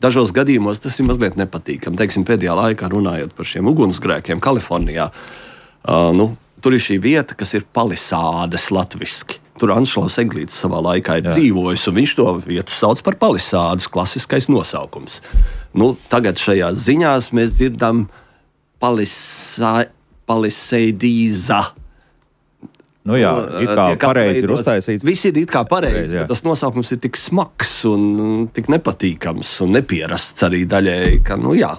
[SPEAKER 2] Dažos gadījumos tas ir mazliet nepatīkami. Teiksim, pēdējā laikā runājot par šiem ugunsgrēkiem Kalifornijā, uh, nu, tur ir šī vieta, kas ir palisādes latviski. Tur Anšlaus Eglītis savā laikā ir dzīvojis, un viņš to vietu sauc par palisādes, klasiskais nosaukums. Nu, tagad šajās ziņās mēs dzirdam palisa, paliseidīza.
[SPEAKER 1] Nu jā, it kā pareizi ir uztaisīts.
[SPEAKER 2] Viss ir it kā pareizi, bet tas nosaukums ir tik smags un tik nepatīkams un nepierasts arī daļēji, ka, nu jā,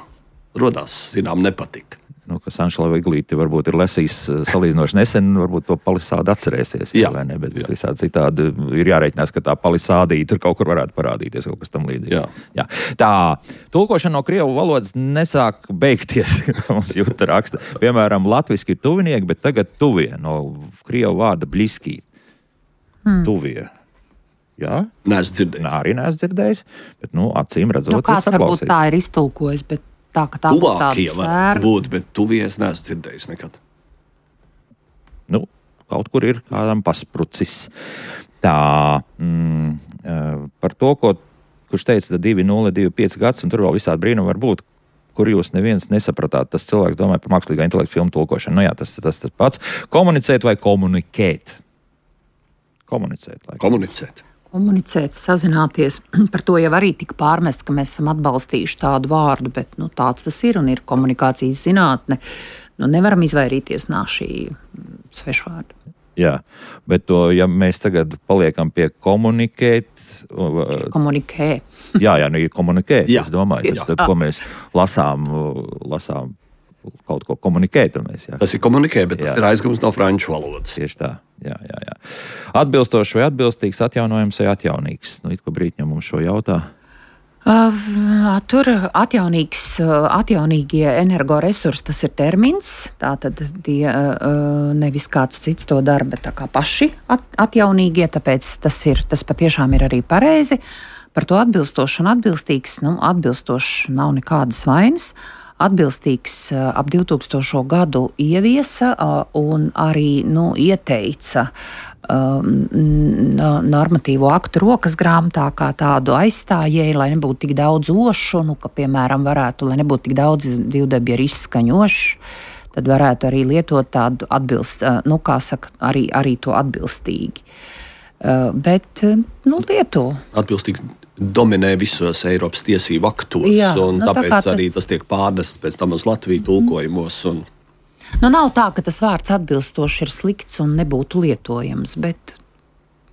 [SPEAKER 2] rodās, zinām, nepatika.
[SPEAKER 1] nu, ka Sanšlava Iglīti varbūt ir lesījis salīdzinoši nesen, varbūt to palisādi atcerēsies, jā, vai ne, bet jā. Visādi citādi ir jārēķinās, ka tā palisādīja tur kaut kur varētu parādīties, kaut kas tam līdzīgi.
[SPEAKER 2] Jā.
[SPEAKER 1] Jā. Tā, tulkošana no krievu valodas nesāk beigties, mums jūta raksta. Piemēram, latviski ir tuvinieki, bet tagad tuvie no krievu vārda bliskī. Hmm. Tuvie. Jā?
[SPEAKER 2] Neesmu dzirdējis.
[SPEAKER 1] Nā, arī neesmu dzirdējis, bet, nu, acīm redzot,
[SPEAKER 3] nu, kāds varbūt tā ir iztulkojis, bet tā, ka tā būtu tāda sēra.
[SPEAKER 2] Būt, bet tuvies neesmu dzirdējis nekad.
[SPEAKER 1] Nu, kaut kur ir kādam pasprucis. Tā, mm, par to, ko, kurš teica, divi nulle divi pieci gads, un tur vēl visādi brīnumi var būt, kur jūs neviens nesapratāt. Tas cilvēks domāja par mākslīgā intelekta filmu tulkošanu. Nu jā, tas tas tas pats. Komunicēt vai komunikēt? Komunicēt. Lai.
[SPEAKER 2] Komunicēt.
[SPEAKER 3] Komunicēt, sazināties. Par to jau arī tika pārmest, ka mēs esam atbalstījuši tādu vārdu, bet nu, tāds tas ir un ir komunikācijas zinātne. Nu, nevaram izvairīties no šī svešvārda.
[SPEAKER 1] Jā, bet to, ja mēs tagad paliekam pie komunikēt...
[SPEAKER 3] Komunikē.
[SPEAKER 1] Jā, jā, nu ir komunikēt,
[SPEAKER 2] jā.
[SPEAKER 1] Es domāju. Tas, tad, ko mēs lasām, lasām kaut ko komunikēt. Mēs, jā.
[SPEAKER 2] Tas ir komunikē, bet jā. Tas ir aizgums no franču valodas.
[SPEAKER 1] Tieši tā. Jā, jā, jā. Atbilstošs vai atbilstīgs, atjaunojams vai atjaunīgs? Nu, it ko Brītņa mums šo jautā.
[SPEAKER 3] Uh, tur atjaunīgs, atjaunīgie energoresursi, tas ir termins. Tātad tie uh, nevis kāds cits to dara, bet tā kā paši at, atjaunīgie, tāpēc tas, ir, tas patiešām ir arī pareizi. Par to atbilstošs un atbilstīgs, nu, atbilstošs nav nekādas vainas. Atbilstīgs ap divtūkstošo gadu ieviesa un arī nu, ieteica um, normatīvo aktu rokas grāmatā kā tādu aizstājēju, lai nebūtu tik daudz ošu, nu, ka, piemēram, varētu, lai nebūtu tik daudz divdabju izskaņošu, tad varētu arī lietot tādu atbilst, nu, kā saka, arī, arī to atbilstīgi. Uh, bet, nu, lieto.
[SPEAKER 2] Atbilstīgi dominē visos Eiropas tiesību aktos,
[SPEAKER 3] jā,
[SPEAKER 2] un
[SPEAKER 3] nu,
[SPEAKER 2] tāpēc
[SPEAKER 3] tā
[SPEAKER 2] arī
[SPEAKER 3] tas...
[SPEAKER 2] tas tiek pārnests pēc tam uz Latviju tulkojumos. Un...
[SPEAKER 3] Nu, nav tā, ka tas vārds atbilstoši ir slikts un nebūtu lietojams, bet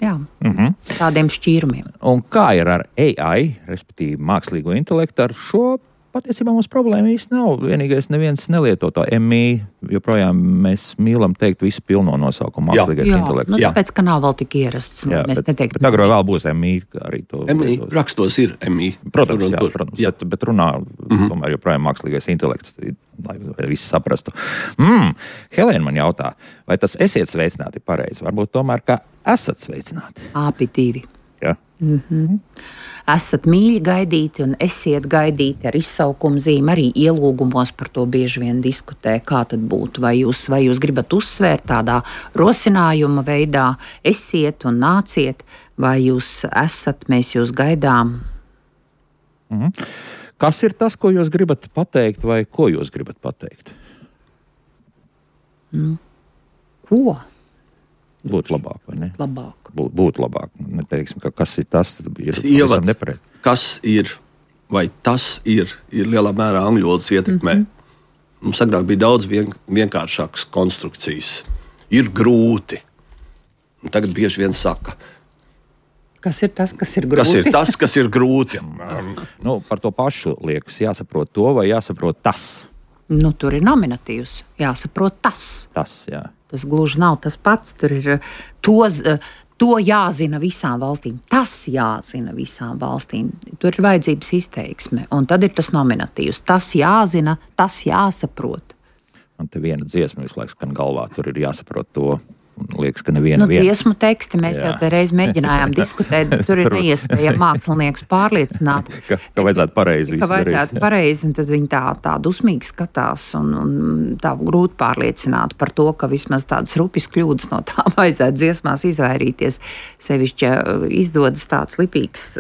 [SPEAKER 3] jā, mm-hmm. tādiem šķīrumiem.
[SPEAKER 1] Un kā ir ar A I, respektīvi mākslīgo intelektu, ar šo patiesībā mums problēma īsti nav. Vienīgais neviens nelieto to M I, joprojām mēs mīlam teikt visu pilno nosaukumu mākslīgais
[SPEAKER 3] jā,
[SPEAKER 1] intelekts.
[SPEAKER 3] Nu, tāpēc, ka nav vēl tik ierasts.
[SPEAKER 1] Jā,
[SPEAKER 3] mēs
[SPEAKER 1] bet,
[SPEAKER 3] neteiktu,
[SPEAKER 1] bet agrāk vēl būs M I arī to.
[SPEAKER 2] M I rakstos ir M I.
[SPEAKER 1] Protams,
[SPEAKER 2] tur,
[SPEAKER 1] jā,
[SPEAKER 2] tur.
[SPEAKER 1] protams
[SPEAKER 2] Jā.
[SPEAKER 1] Bet, bet runā mm-hmm. tomēr joprojām mākslīgais intelekts, lai visi saprastu. Mm, Helēna man jautā, vai tas esiet sveicināti pareizi? Varbūt tomēr, ka esat sveicināti?
[SPEAKER 3] Āpitīvi.
[SPEAKER 1] Jā.
[SPEAKER 3] Mm-hmm. Esat mīļi gaidīti un esiet gaidīti ar izsaukumu zīmi. Arī ielūgumos par to bieži vien diskutē, kā tad būtu. Vai jūs, vai jūs gribat uzsvērt tādā rosinājuma veidā, esiet un nāciet, vai jūs esat, mēs jūs gaidām.
[SPEAKER 1] Mm-hmm. Kas ir tas, ko jūs gribat pateikt, vai ko jūs gribat pateikt?
[SPEAKER 3] Mm. Ko?
[SPEAKER 1] Būtu labāk, vai ne?
[SPEAKER 3] Labāk.
[SPEAKER 1] Būt, būtu labāk. Neteiksim, ka kas ir tas, ir
[SPEAKER 2] Ievad,
[SPEAKER 1] nepareizi.
[SPEAKER 2] kas ir, vai tas ir, ir lielā mērā angļu valodas ietekmē. Mm-hmm. Mums agrāk bija daudz vien, vienkāršākas konstrukcijas. Ir grūti. Un tagad bieži vien saka.
[SPEAKER 3] Kas ir tas, kas ir grūti?
[SPEAKER 2] Kas ir tas, kas ir grūti?
[SPEAKER 1] Nu, par to pašu liekas jāsaprot to, vai jāsaprot tas.
[SPEAKER 3] Nu, tur ir nominatīvs. Jāsaprot tas.
[SPEAKER 1] Tas, jā.
[SPEAKER 3] Tas gluži nav tas pats. Tur ir to, to jāzina visām valstīm. Tas jāzina visām valstīm. Tur ir vajadzības izteiksme. Un tad ir tas nominatīvs. Tas jāzina, tas jāsaprot.
[SPEAKER 1] Man te viena dziesma visu laiku skan galvā. Tur ir jāsaprot to. Liekas, ka neviena
[SPEAKER 3] nu, dziesmu teksti mēs jā. jau te reiz mēģinājām diskutēt, bet tur ir neiespējami mākslinieks pārliecināt.
[SPEAKER 1] Ka, ka vajadzētu pareizi
[SPEAKER 3] Ka vajadzētu pareizi, un tad viņi tā, tā dusmīgi skatās un, un tā grūti pārliecināt par to, ka vismaz tādas rupjas kļūdas no tā vajadzētu dziesmās izvairīties. Sevišķi izdodas tāds lipīgs,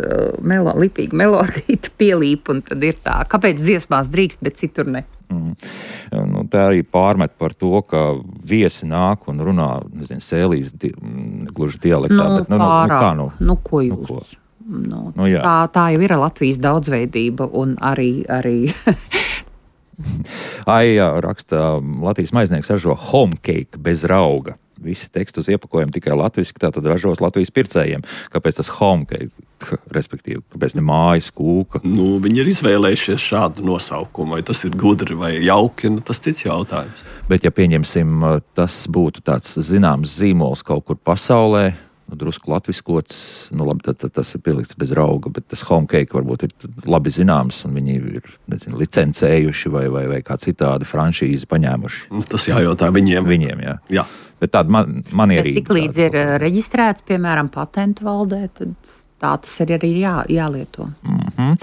[SPEAKER 3] melo, lipīga melodīta pielīp, un tad ir tā, kāpēc dziesmās drīkst, bet citur ne.
[SPEAKER 1] Mm. Nu, tā arī pārmet par to, ka viesi nāk un runā, nezinu, sēlīs di, gluži dialektā.
[SPEAKER 3] Nu,
[SPEAKER 1] bet, nu,
[SPEAKER 3] pārāk.
[SPEAKER 1] Nu, kā, nu?
[SPEAKER 3] Nu, ko jūs?
[SPEAKER 1] Nu, ko?
[SPEAKER 3] Nu,
[SPEAKER 1] Nu, jā.
[SPEAKER 3] tā, tā jau ir Latvijas daudzveidība un arī... arī
[SPEAKER 1] Ai, jā, raksta Latvijas maiznieks ražo home cake bez rauga. visi teksti uz iepakojuma tikai latviski, tātad ražos Latvijas pircējiem. Kāpēc tas home cake, respektīvi, kāpēc ne mājas kūka?
[SPEAKER 2] Nu, viņi ir izvēlējušies šādu nosaukumu, vai tas ir gudri vai jauki, nu, tas cits jautājums.
[SPEAKER 1] Bet ja pieņemsim, tas būtu tāds zināms zīmols kaut kur pasaulē, nu, drusku latviskots, nu labi, tad, tad tas ir pielikts bez rauga, bet tas home cake varbūt ir labi zināms, un viņi ir, nezinu, licencējuši vai, vai, vai kā citādi franšīzi paņēmuši.
[SPEAKER 2] Tas jājautā viņiem.
[SPEAKER 1] Viņiem, jā.
[SPEAKER 2] Jā.
[SPEAKER 1] Bet tāda man, manierība.
[SPEAKER 3] Bet tik līdz ir reģistrēts, piemēram, patentu valdē, tad tā tas ir arī jā, jālieto.
[SPEAKER 1] Mm-hmm.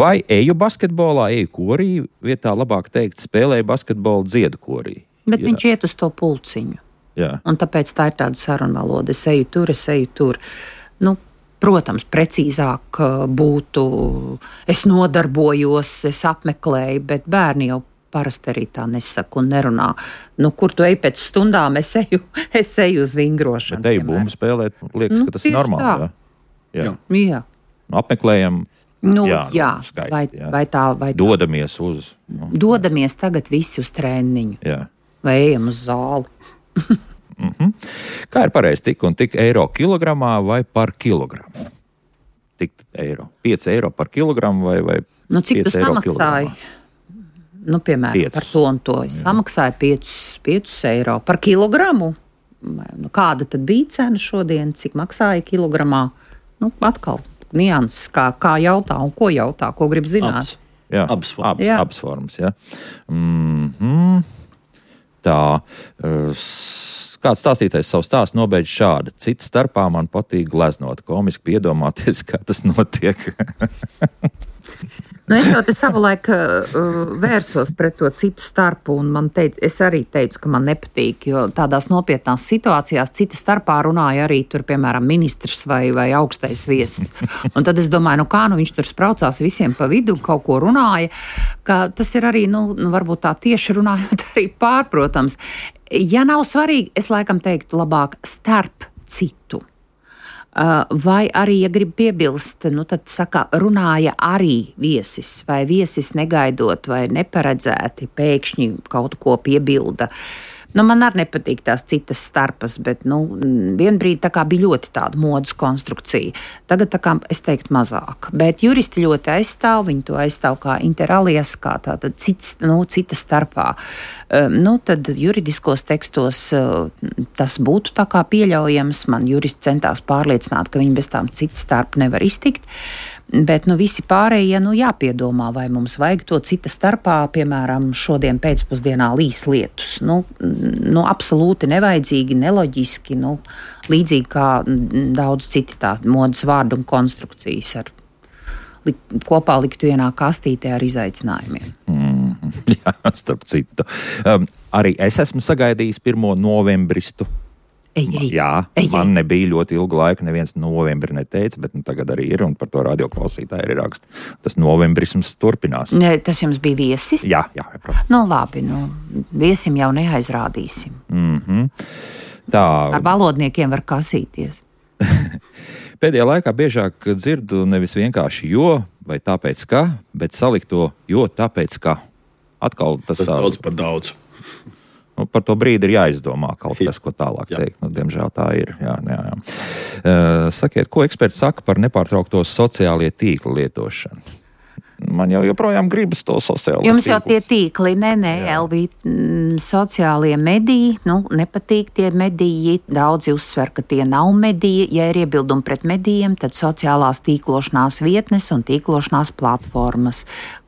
[SPEAKER 1] Vai eju basketbolā, eju korī, vietā labāk teikt, spēlēju basketbolu, dziedu korī?
[SPEAKER 3] Bet
[SPEAKER 1] jā.
[SPEAKER 3] Viņš iet uz to pulciņu.
[SPEAKER 1] Jā.
[SPEAKER 3] Un tāpēc tā ir tāda sarunvaloda. Es eju tur, es eju tur. Nu, protams, precīzāk būtu, es nodarbojos, es apmeklēju, bet bērni jau parasti arī tā nesaka un nerunā. Nu, kur tu ej pēc stundām, es eju, es eju uz vingrošanu.
[SPEAKER 1] Bet eju bumbu spēlēt, liekas, nu, ka tas ir normāli. Jā. Jā.
[SPEAKER 3] Jā. Jā.
[SPEAKER 1] Nu, apmeklējam.
[SPEAKER 3] Nu, jā,
[SPEAKER 1] jā,
[SPEAKER 3] nu,
[SPEAKER 1] skaisti,
[SPEAKER 3] vai,
[SPEAKER 1] jā.
[SPEAKER 3] vai tā, vai tā.
[SPEAKER 1] Dodamies uz. Nu,
[SPEAKER 3] Dodamies tagad visi uz trēniņu.
[SPEAKER 1] Jā.
[SPEAKER 3] Vai ejam uz zāli.
[SPEAKER 1] Mm-hmm. Kā ir pareizi tik un tik eiro kilogramā vai par kilogramu? Tik eiro. pieci eiro par kilogramu vai, vai
[SPEAKER 3] nu, cik tu samaksāji?
[SPEAKER 1] Kilogramā?
[SPEAKER 3] Nu, piemēram, piecus. Par to un to. Es samaksāju piecus eiro par kilogramu. Nu, kāda tad bija cena šodien? Cik maksāja kilogramā? Nu, atkal nianses, kā, kā jautā un ko jautā, ko grib zināt.
[SPEAKER 2] Abs.
[SPEAKER 1] Jā,
[SPEAKER 2] abas formas.
[SPEAKER 1] Abas, abas formas, jā. Mm-hmm. Tā, kāds stāstītais savu stāstu nobeidz šādi. Cits starpā man patīk gleznot, komiski piedomāties, kā tas notiek.
[SPEAKER 3] Nu, es jau te savulaik uh, vērsos pret to citu starpu, un man teica, es arī teicu, ka man nepatīk, jo tādās nopietnās situācijās cita starpā runāja arī tur, piemēram, ministrs vai, vai augstais viesis. Un tad es domāju, nu kā nu viņš tur spraucās visiem pa vidu, kaut ko runāja, ka tas ir arī, nu, nu varbūt tā tieši runājot arī pārprotams. Ja nav svarīgi, es laikam teiktu labāk starp citu. Vai arī, ja grib piebilst, nu tad saka, runāja arī viesis, vai viesis negaidot vai neparedzēti pēkšņi kaut ko piebilda. Nu, man arī nepatīk tās citas starpas, bet nu, vienbrīd tā kā bija ļoti tāda modas konstrukcija. Tagad tā kā es teiktu mazāk. Bet juristi ļoti aizstāv, viņi to aizstāv kā interalias, kā tātad cits, nu, cita starpā. Um, nu, tad juridiskos tekstos uh, tas būtu tā kā pieļaujams. Man juristi centās pārliecināt, ka viņi bez tām citas starp nevar iztikt. Bet nu, visi pārējie nu, jāpiedomā, vai mums vajag to cita starpā, piemēram, šodien pēcpusdienā līs lietus. Nu, nu, absolūti nevajadzīgi, neloģiski, nu, līdzīgi kā daudz citi tā modas vārdu un konstrukcijas ar, li, kopā likt vienā kastītē ar izaicinājumiem.
[SPEAKER 1] Mm, jā, starp citu. Um, arī es esmu sagaidījis pirmo novembristu.
[SPEAKER 3] Ej, ej,
[SPEAKER 1] Jā,
[SPEAKER 3] ej,
[SPEAKER 1] man
[SPEAKER 3] ej.
[SPEAKER 1] nebija ļoti ilgu laiku, neviens novembri neteica, bet nu, tagad arī ir, un par to radioklausītāji ir raksta. Tas novembrisms turpinās.
[SPEAKER 3] Ne, tas jums bija viesis?
[SPEAKER 1] Jā, jā, protams.
[SPEAKER 3] Nu, labi, nu, viesim jau neaizrādīsim.
[SPEAKER 1] Mm-hmm. Tā.
[SPEAKER 3] Ar valodniekiem var kasīties.
[SPEAKER 1] Pēdējā laikā biežāk dzirdu nevis vienkārši jo, vai tāpēc ka, bet salikt to jo, tāpēc ka. Atkal tas,
[SPEAKER 2] tas daudz par daudz.
[SPEAKER 1] Nu, par to brīdi ir jāizdomā kaut kas, ko tālāk
[SPEAKER 2] jā.
[SPEAKER 1] teikt. Nu, diemžēl tā ir. Jā, jā, jā. Uh, sakiet, ko eksperti saka par nepārtraukto sociālie tīkli lietošanu? Man jau joprojām gribas to sociālo
[SPEAKER 3] Jums jau tie
[SPEAKER 1] tīklus.
[SPEAKER 3] tīkli, nē, nē, Elvī, mm, sociālie mediji, nu, nepatīk tie mediji, daudzi uzsver, ka tie nav mediji. Ja ir iebildumi pret medijiem, tad sociālās tīklošanās vietnes un tīklošanās platformas.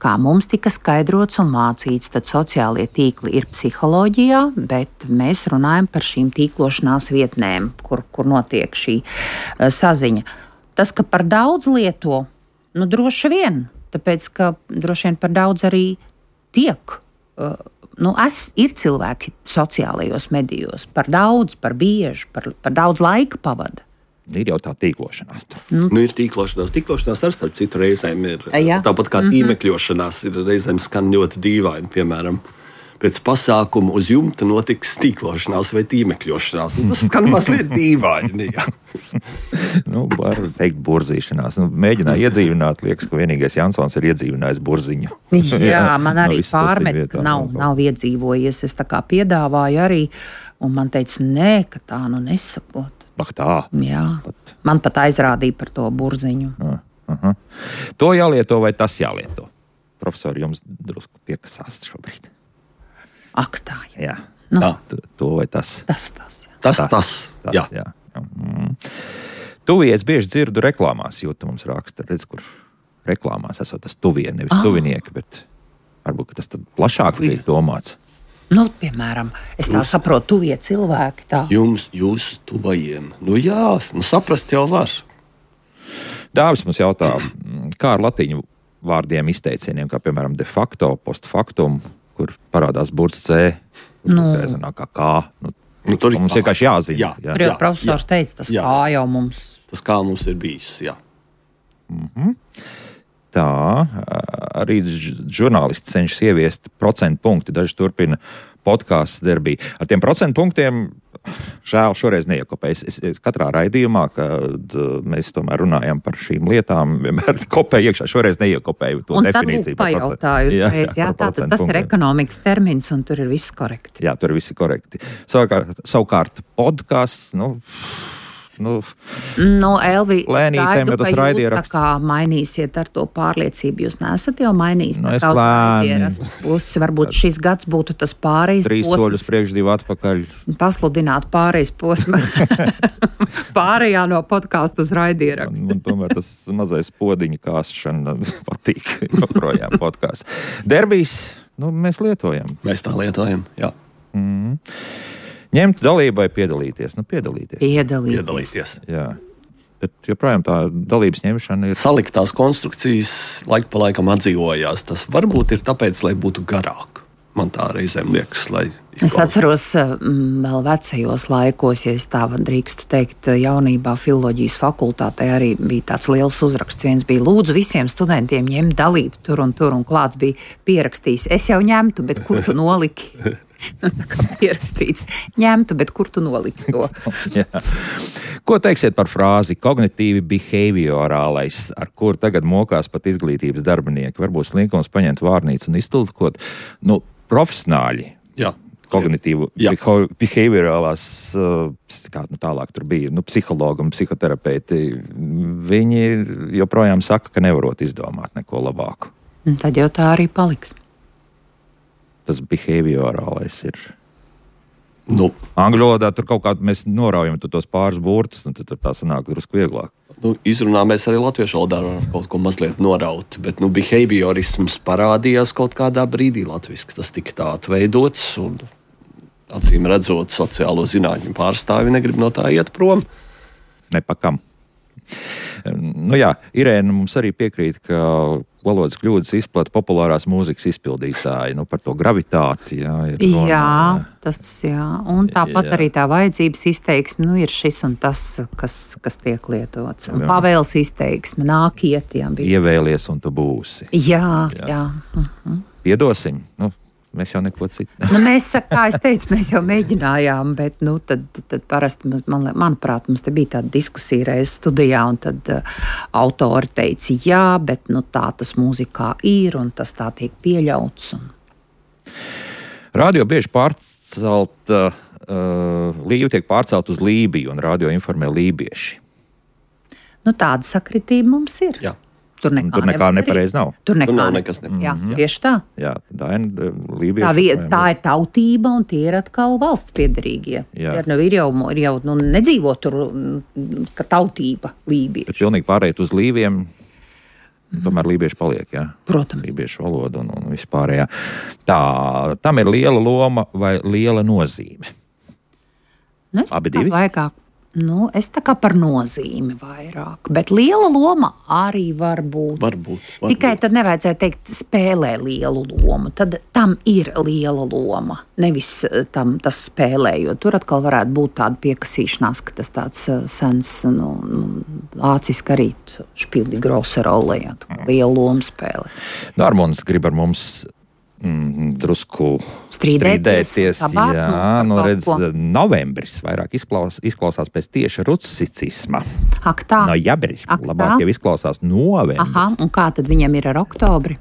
[SPEAKER 3] Kā mums tika skaidrots un mācīts, tad sociālie tīkli ir psiholoģijā, bet mēs runājam par šīm tīklošanās vietnēm, kur, kur notiek šī uh, saziņa. Tas, ka par daudz lieto, nu, droši vien. Tāpēc, ka droši vien par daudz arī tiek. Uh, nu, es, ir cilvēki sociālajos medijos, par daudz, par bieži, par, par daudz laika pavada.
[SPEAKER 1] Ir jau tā tīklošanās.
[SPEAKER 2] Nu, nu ir tīklošanās. Tīklošanās ar starp citu reizēm ir.
[SPEAKER 3] Jā.
[SPEAKER 2] Tāpat kā
[SPEAKER 3] Mm-hmm.
[SPEAKER 2] tīmekļošanās ir reizēm skan ļoti dīvaini, piemēram. Pēc pasākuma uz jumta notiks tīklošanās vai tīmekļošanās. Tas skan mazliet dīvaini.
[SPEAKER 1] Nu, var teikt burzīšanās. Nu, mēģināju iedzīvināt, liekas, ka vienīgais Jansons ir iedzīvinājis burziņu.
[SPEAKER 3] Jā, man arī
[SPEAKER 1] Nu, viss tas ir
[SPEAKER 3] pārmet,
[SPEAKER 1] vietā,
[SPEAKER 3] ka nav,
[SPEAKER 1] nu,
[SPEAKER 3] nav iedzīvojies. Es tā kā piedāvāju arī Un man teica, nē, ka tā nu nesakot.
[SPEAKER 1] Ak tā.
[SPEAKER 3] Jā,
[SPEAKER 1] Pat.
[SPEAKER 3] man pat aizrādīja par to burziņu.
[SPEAKER 1] Uh, uh-huh. To jālieto vai tas jālieto? Profesori, jums drusku piekasās šobrīd.
[SPEAKER 3] Ak tā, jā.
[SPEAKER 1] Jā.
[SPEAKER 3] Nu,
[SPEAKER 1] To, to vai tas?
[SPEAKER 3] tas, tas, jā.
[SPEAKER 2] Tas, tas, tas
[SPEAKER 1] tas
[SPEAKER 2] jā.
[SPEAKER 1] jā. jā. Mm. Tuvies bieži dzirdu reklāmās, Jūta mums raksta, redz, kur reklāmās esot tas tuvie, nevis
[SPEAKER 3] Ah.
[SPEAKER 1] tuvinieki, bet varbūt ka tas tad plašāk tiek domāts.
[SPEAKER 3] Nu, piemēram, es tā saprotu, tuvie cilvēki tā.
[SPEAKER 2] Jums, jūs tuvajiem. Nu jā, nu saprast jau var.
[SPEAKER 1] Dāvis mums jautā, kā ar latīņu vārdiem izteicieniem, kā piemēram de facto, post factum, kur parādās burts C,
[SPEAKER 3] Nu.
[SPEAKER 1] nu. kā kā. Nu,
[SPEAKER 2] Nu, tur ir
[SPEAKER 1] mums
[SPEAKER 2] kā.
[SPEAKER 1] vienkārši jāzina.
[SPEAKER 2] Jā.
[SPEAKER 1] Jā.
[SPEAKER 3] Tur jau
[SPEAKER 2] Jā,
[SPEAKER 3] profesors
[SPEAKER 2] jā.
[SPEAKER 3] teica, tas
[SPEAKER 2] Jā.
[SPEAKER 3] kā jau mums.
[SPEAKER 2] Tas kā mums ir bijis, jā.
[SPEAKER 1] Tā, arī ž- žurnālisti cenšas ieviest procentu punktu. Daži turpina podkāstu darbību. Ar tiem procentu punktiem, žēl, šoreiz neiekopēju. Es, es katrā raidījumā, kad mēs tomēr runājam par šīm lietām, vienmēr kopēju iekšā. Šoreiz neiekopēju to
[SPEAKER 3] Un tad
[SPEAKER 1] definīciju.
[SPEAKER 3] lūk pajautāju, jā, jā, jā,
[SPEAKER 1] par
[SPEAKER 3] tātad
[SPEAKER 1] procentu
[SPEAKER 3] tas ir
[SPEAKER 1] punktiem.
[SPEAKER 3] ekonomikas termins un tur ir viss korekti.
[SPEAKER 1] Jā, tur viss ir korekti. Savukārt, savukārt podkāsts, nu, nu,
[SPEAKER 3] Nu, Elvi,
[SPEAKER 1] Lēnītēm,
[SPEAKER 3] gaidu,
[SPEAKER 1] jo tas
[SPEAKER 3] ka jūs
[SPEAKER 1] raidieraksts-
[SPEAKER 3] tā kā mainīsiet ar to pārliecību. Jūs neesat jau mainījis.
[SPEAKER 1] Nu,
[SPEAKER 3] tā
[SPEAKER 1] es
[SPEAKER 3] kā uz
[SPEAKER 1] lēni.
[SPEAKER 3] raidierakstu pusi. Varbūt šis gads būtu tas pārējais
[SPEAKER 1] trīs
[SPEAKER 3] posms.
[SPEAKER 1] soļus priekš, divi atpakaļ.
[SPEAKER 3] Pasludināt pārējais posms. Pārējā no podkāstu uz raidierakstu.
[SPEAKER 1] Man, man tomēr tas mazais podiņa kāsšana patīk. Joprojām podkāsts. Derbijs, nu, mēs lietojam.
[SPEAKER 2] Mēs tā lietojam, jā.
[SPEAKER 1] Ņemt dalību vai piedalīties? Nu, piedalīties.
[SPEAKER 3] Piedalīties.
[SPEAKER 2] Piedalīties.
[SPEAKER 1] Jā. Bet joprojām tā dalības ņemšana ir.
[SPEAKER 2] Saliktās konstrukcijas laika pa laikam atdzīvojās. Tas varbūt ir tāpēc, lai būtu garāk. Man tā reizēm liekas, lai
[SPEAKER 3] Es
[SPEAKER 2] izklausās.
[SPEAKER 3] atceros, mm, vēl vecajos laikos, ja es tā drīkstu teikt, jaunībā filoloģijas fakultātē arī bija tāds liels uzraksts. Viens bija lūdzu visiem studentiem ņemt dalību tur un tur, un klāts bija pierakstījis. Es jau ņemtu, bet kur tu noliki? Tā kā pierakstīts, ņemtu, bet kur tu noliki to?
[SPEAKER 1] Jā. Ko teiksiet par frāzi kognitīvi behaviorālais, ar kur tagad mokās pat izglītības darbinieki? Varbūt slinkums paņemt vārnīcu un iztulkot. Nu, profesionāļi.
[SPEAKER 2] Jā.
[SPEAKER 1] Kognitīvu
[SPEAKER 2] Jā.
[SPEAKER 1] beho- behaviorālās, uh, kā nu tālāk tur bija, nu, psihologi un psihoterapeiti, viņi joprojām saka, ka nevarot izdomāt neko labāku.
[SPEAKER 3] Un tad jau tā arī paliks.
[SPEAKER 1] Tas behaviorālais ir.
[SPEAKER 2] Nu,
[SPEAKER 1] Angļu valodā tur kaut kā mēs noraujam tu tos pāris burtus, un tad tur tā sanāk drusku vieglāk.
[SPEAKER 2] nu, izrunā mēs arī latviešu valodā varam kaut ko mazliet noraut, bet nu, behaviorisms parādījās kaut kādā brīdī latviski. Tas tika tā atveidots, un acīm redzot, sociālo zinātņu pārstāvi negrib no tā iet prom.
[SPEAKER 1] Nepakam. Nu jā, Irēna mums arī piekrīt, ka valodas kļūdas izplata populārās mūzikas izpildītāji. Nu, par to gravitāti. Jā, ir runa.
[SPEAKER 3] Jā, tas jā. Un tāpat
[SPEAKER 1] Jā.
[SPEAKER 3] arī tā vajadzības izteiksme, nu, ir šis un tas, kas, kas tiek lietots. Un
[SPEAKER 1] Jā.
[SPEAKER 3] pavēles izteiksme, nākiet, jā. Bija.
[SPEAKER 1] Ievēlies un tu būsi.
[SPEAKER 3] Jā,
[SPEAKER 1] Jā.
[SPEAKER 3] jā. jā.
[SPEAKER 1] Piedosim. Nu, mēs jau neko citu.
[SPEAKER 3] Nu, mēs, kā es teicu, mēs jau mēģinājām, bet, nu, tad, tad parasti, man, manuprāt, mums te bija tāda diskusija reiz studijā, un tad uh, autori teica, jā, bet, nu, tā tas mūzikā ir, un tas tā tiek pieļauts. Un...
[SPEAKER 1] Radio bieži pārcelt, uh, līva tiek pārcelt uz Lībiju, un radio informē lībieši.
[SPEAKER 3] Nu, tāda sakritība mums ir.
[SPEAKER 2] Jā.
[SPEAKER 3] Tur nekā,
[SPEAKER 1] Tur nekā nepareiz nav.
[SPEAKER 3] Tur nekā
[SPEAKER 2] Tur nav
[SPEAKER 3] ne-
[SPEAKER 2] nekas nepareizi.
[SPEAKER 3] Jā,
[SPEAKER 2] Mhm.
[SPEAKER 3] tieši tā.
[SPEAKER 1] Jā, Daina, lībieši.
[SPEAKER 3] Tā, vie, tā ir tautība, un tie ir atkal valsts piederīgie.
[SPEAKER 1] Jā.
[SPEAKER 3] Ir, nu, ir jau, ir jau nu, nedzīvo tur, mm, ka tautība lībieši.
[SPEAKER 1] Bet pilnīgi pārējot uz līviem, tomēr lībieši paliek, jā.
[SPEAKER 3] Protams.
[SPEAKER 1] Lībiešu valoda un, un vispārējā. Tā, tam ir liela loma vai liela nozīme.
[SPEAKER 3] Nu, es
[SPEAKER 1] Abi
[SPEAKER 3] tā kā
[SPEAKER 1] divi?
[SPEAKER 3] Vairāk, nu, es tā kā par nozīmi vairāk, bet liela loma arī var būt.
[SPEAKER 2] Varbūt. varbūt.
[SPEAKER 3] Tikai tad nevajadzētu teikt, spēlē lielu lomu. Tad tam ir liela loma. Nevis eh, tam tas spēlē, jo tur atkal varētu būt tāda piekasīšanās, ka tas tāds eh, sens, nu, nu, vāciski arī špildi grosa rolē, jā, tā kā liela loma spēlē.
[SPEAKER 1] Dārmons grib ar mums mm, drusku
[SPEAKER 3] Strīdēties,
[SPEAKER 1] strīdēties.
[SPEAKER 3] sabārt
[SPEAKER 1] Jā,
[SPEAKER 3] mums par
[SPEAKER 1] nu
[SPEAKER 3] kaut
[SPEAKER 1] redz,
[SPEAKER 3] ko.
[SPEAKER 1] novembris vairāk izklaus, izklausās pēc tieša rucicisma.
[SPEAKER 3] Ak tā.
[SPEAKER 1] No jabris,
[SPEAKER 3] Ak,
[SPEAKER 1] labāk
[SPEAKER 3] tā?
[SPEAKER 1] jau izklausās novembris.
[SPEAKER 3] Aha, un kā tad viņam ir ar oktobri?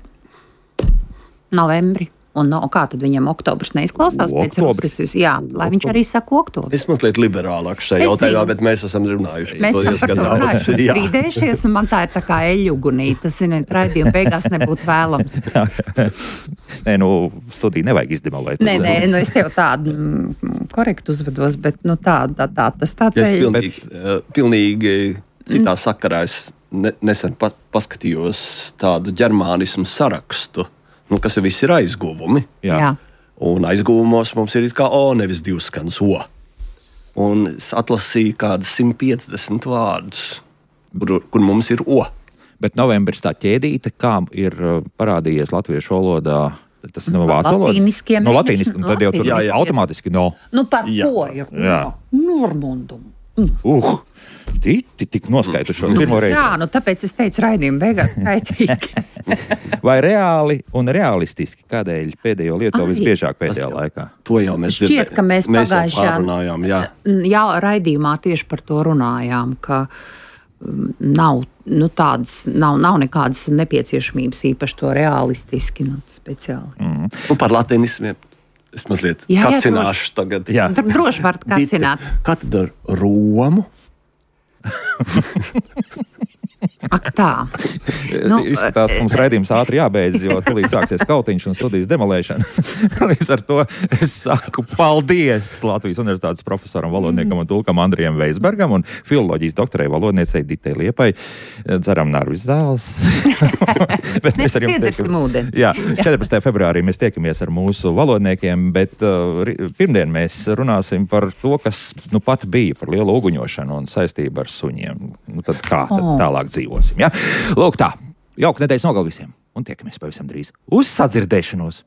[SPEAKER 3] Novembri. Un no, kā tad viņam oktobrs neizklausās pēc Rusis? Jā, lai viņš arī saka oktobrs.
[SPEAKER 2] Es mazliet liberālāk šajā jautājumā, bet mēs esam runājuši.
[SPEAKER 3] Mēs esam runājuši, strīdējušies, un man tā ir tā kā eļugunī. Tas, ziniet, raidījuma beigās nebūtu vēlams.
[SPEAKER 1] Nē, nu, studiju nevajag izdemolēt.
[SPEAKER 3] Nē, nē, nu es jau tādu mm, korektu uzvedos, bet nu tā, tā, tā tas tāds
[SPEAKER 2] es
[SPEAKER 3] eļu.
[SPEAKER 2] Pilnīgi, uh, pilnīgi citā mm. sakarā es ne, nesen pat paskatījos tādu ģermānismu sarakstu. Nu, kas ir visi ir aizguvumi.
[SPEAKER 1] Jā.
[SPEAKER 3] Jā.
[SPEAKER 2] Un aizguvumos mums ir it kā O, nevis divskans O. Un es atlasīju kādas simt piecdesmit vārdus, kur, kur mums ir O.
[SPEAKER 1] Bet novembris tā ķēdīte, kā ir parādījies latviešu valodā, tas no vācu valodas?
[SPEAKER 3] Latīniskiem
[SPEAKER 1] No latīniskiem, tad jau tur
[SPEAKER 2] jā, jā.
[SPEAKER 1] automātiski no.
[SPEAKER 3] Nu par
[SPEAKER 2] Jā.
[SPEAKER 3] ko ir?
[SPEAKER 1] Jā.
[SPEAKER 3] Normundum.
[SPEAKER 1] Uh, titi tik noskaitušos pirmo reizi.
[SPEAKER 3] Jā, nu tāpēc es teicu raidījumu beigās kaitīgi.
[SPEAKER 1] Vai reāli un realistiski, kādēļ pēdējo lieto visbiežāk pēdējā laikā?
[SPEAKER 2] To jau mēs
[SPEAKER 3] Šķiet, ka mēs
[SPEAKER 2] mēs jau
[SPEAKER 3] pagājušajā
[SPEAKER 2] pārunājām, jā.
[SPEAKER 3] jā, raidījumā tieši par to runājām, ka um, nav, nu, tādas, nav, nav nekādas nepieciešamības īpaši to realistiski, nu, speciāli.
[SPEAKER 1] Mm.
[SPEAKER 2] Nu, par latinismiem es mazliet
[SPEAKER 3] Jā, jā,
[SPEAKER 2] kacināšu tagad.
[SPEAKER 1] Jā.
[SPEAKER 3] Dro- Droši varat kacināt.
[SPEAKER 2] Kā tad ar Romu?
[SPEAKER 3] Ak tā.
[SPEAKER 1] Nu, Izskatās, ka mums raidījums ātri jābeidz, jo tūlīt sāksies kautiņš un studijas demolēšana. Līdz ar to es saku paldies Latvijas Universitātes profesoram, valodniekam un tulkam Andrijam Veisbergam un filoloģijas doktorei valodniecei Ditei Liepai. Dzeram Narvis zāles. Bet mēs ar jums
[SPEAKER 3] Iedzersim ūdeni.
[SPEAKER 1] Jā, četrpadsmitajā februārī mēs tiekamies ar mūsu valodniekiem, bet uh, ri- pirmdien mēs runāsim par to, kas nu pat bija par lielu uguņošanu un saistību ar suņiem. Nu tad kā tad
[SPEAKER 3] Oh.
[SPEAKER 1] tālāk dzīvosim, ja? Lūk tā, jauka nedēļas nogali visiem un tiekamies pavisam drīz. Uz sadzirdēšanos!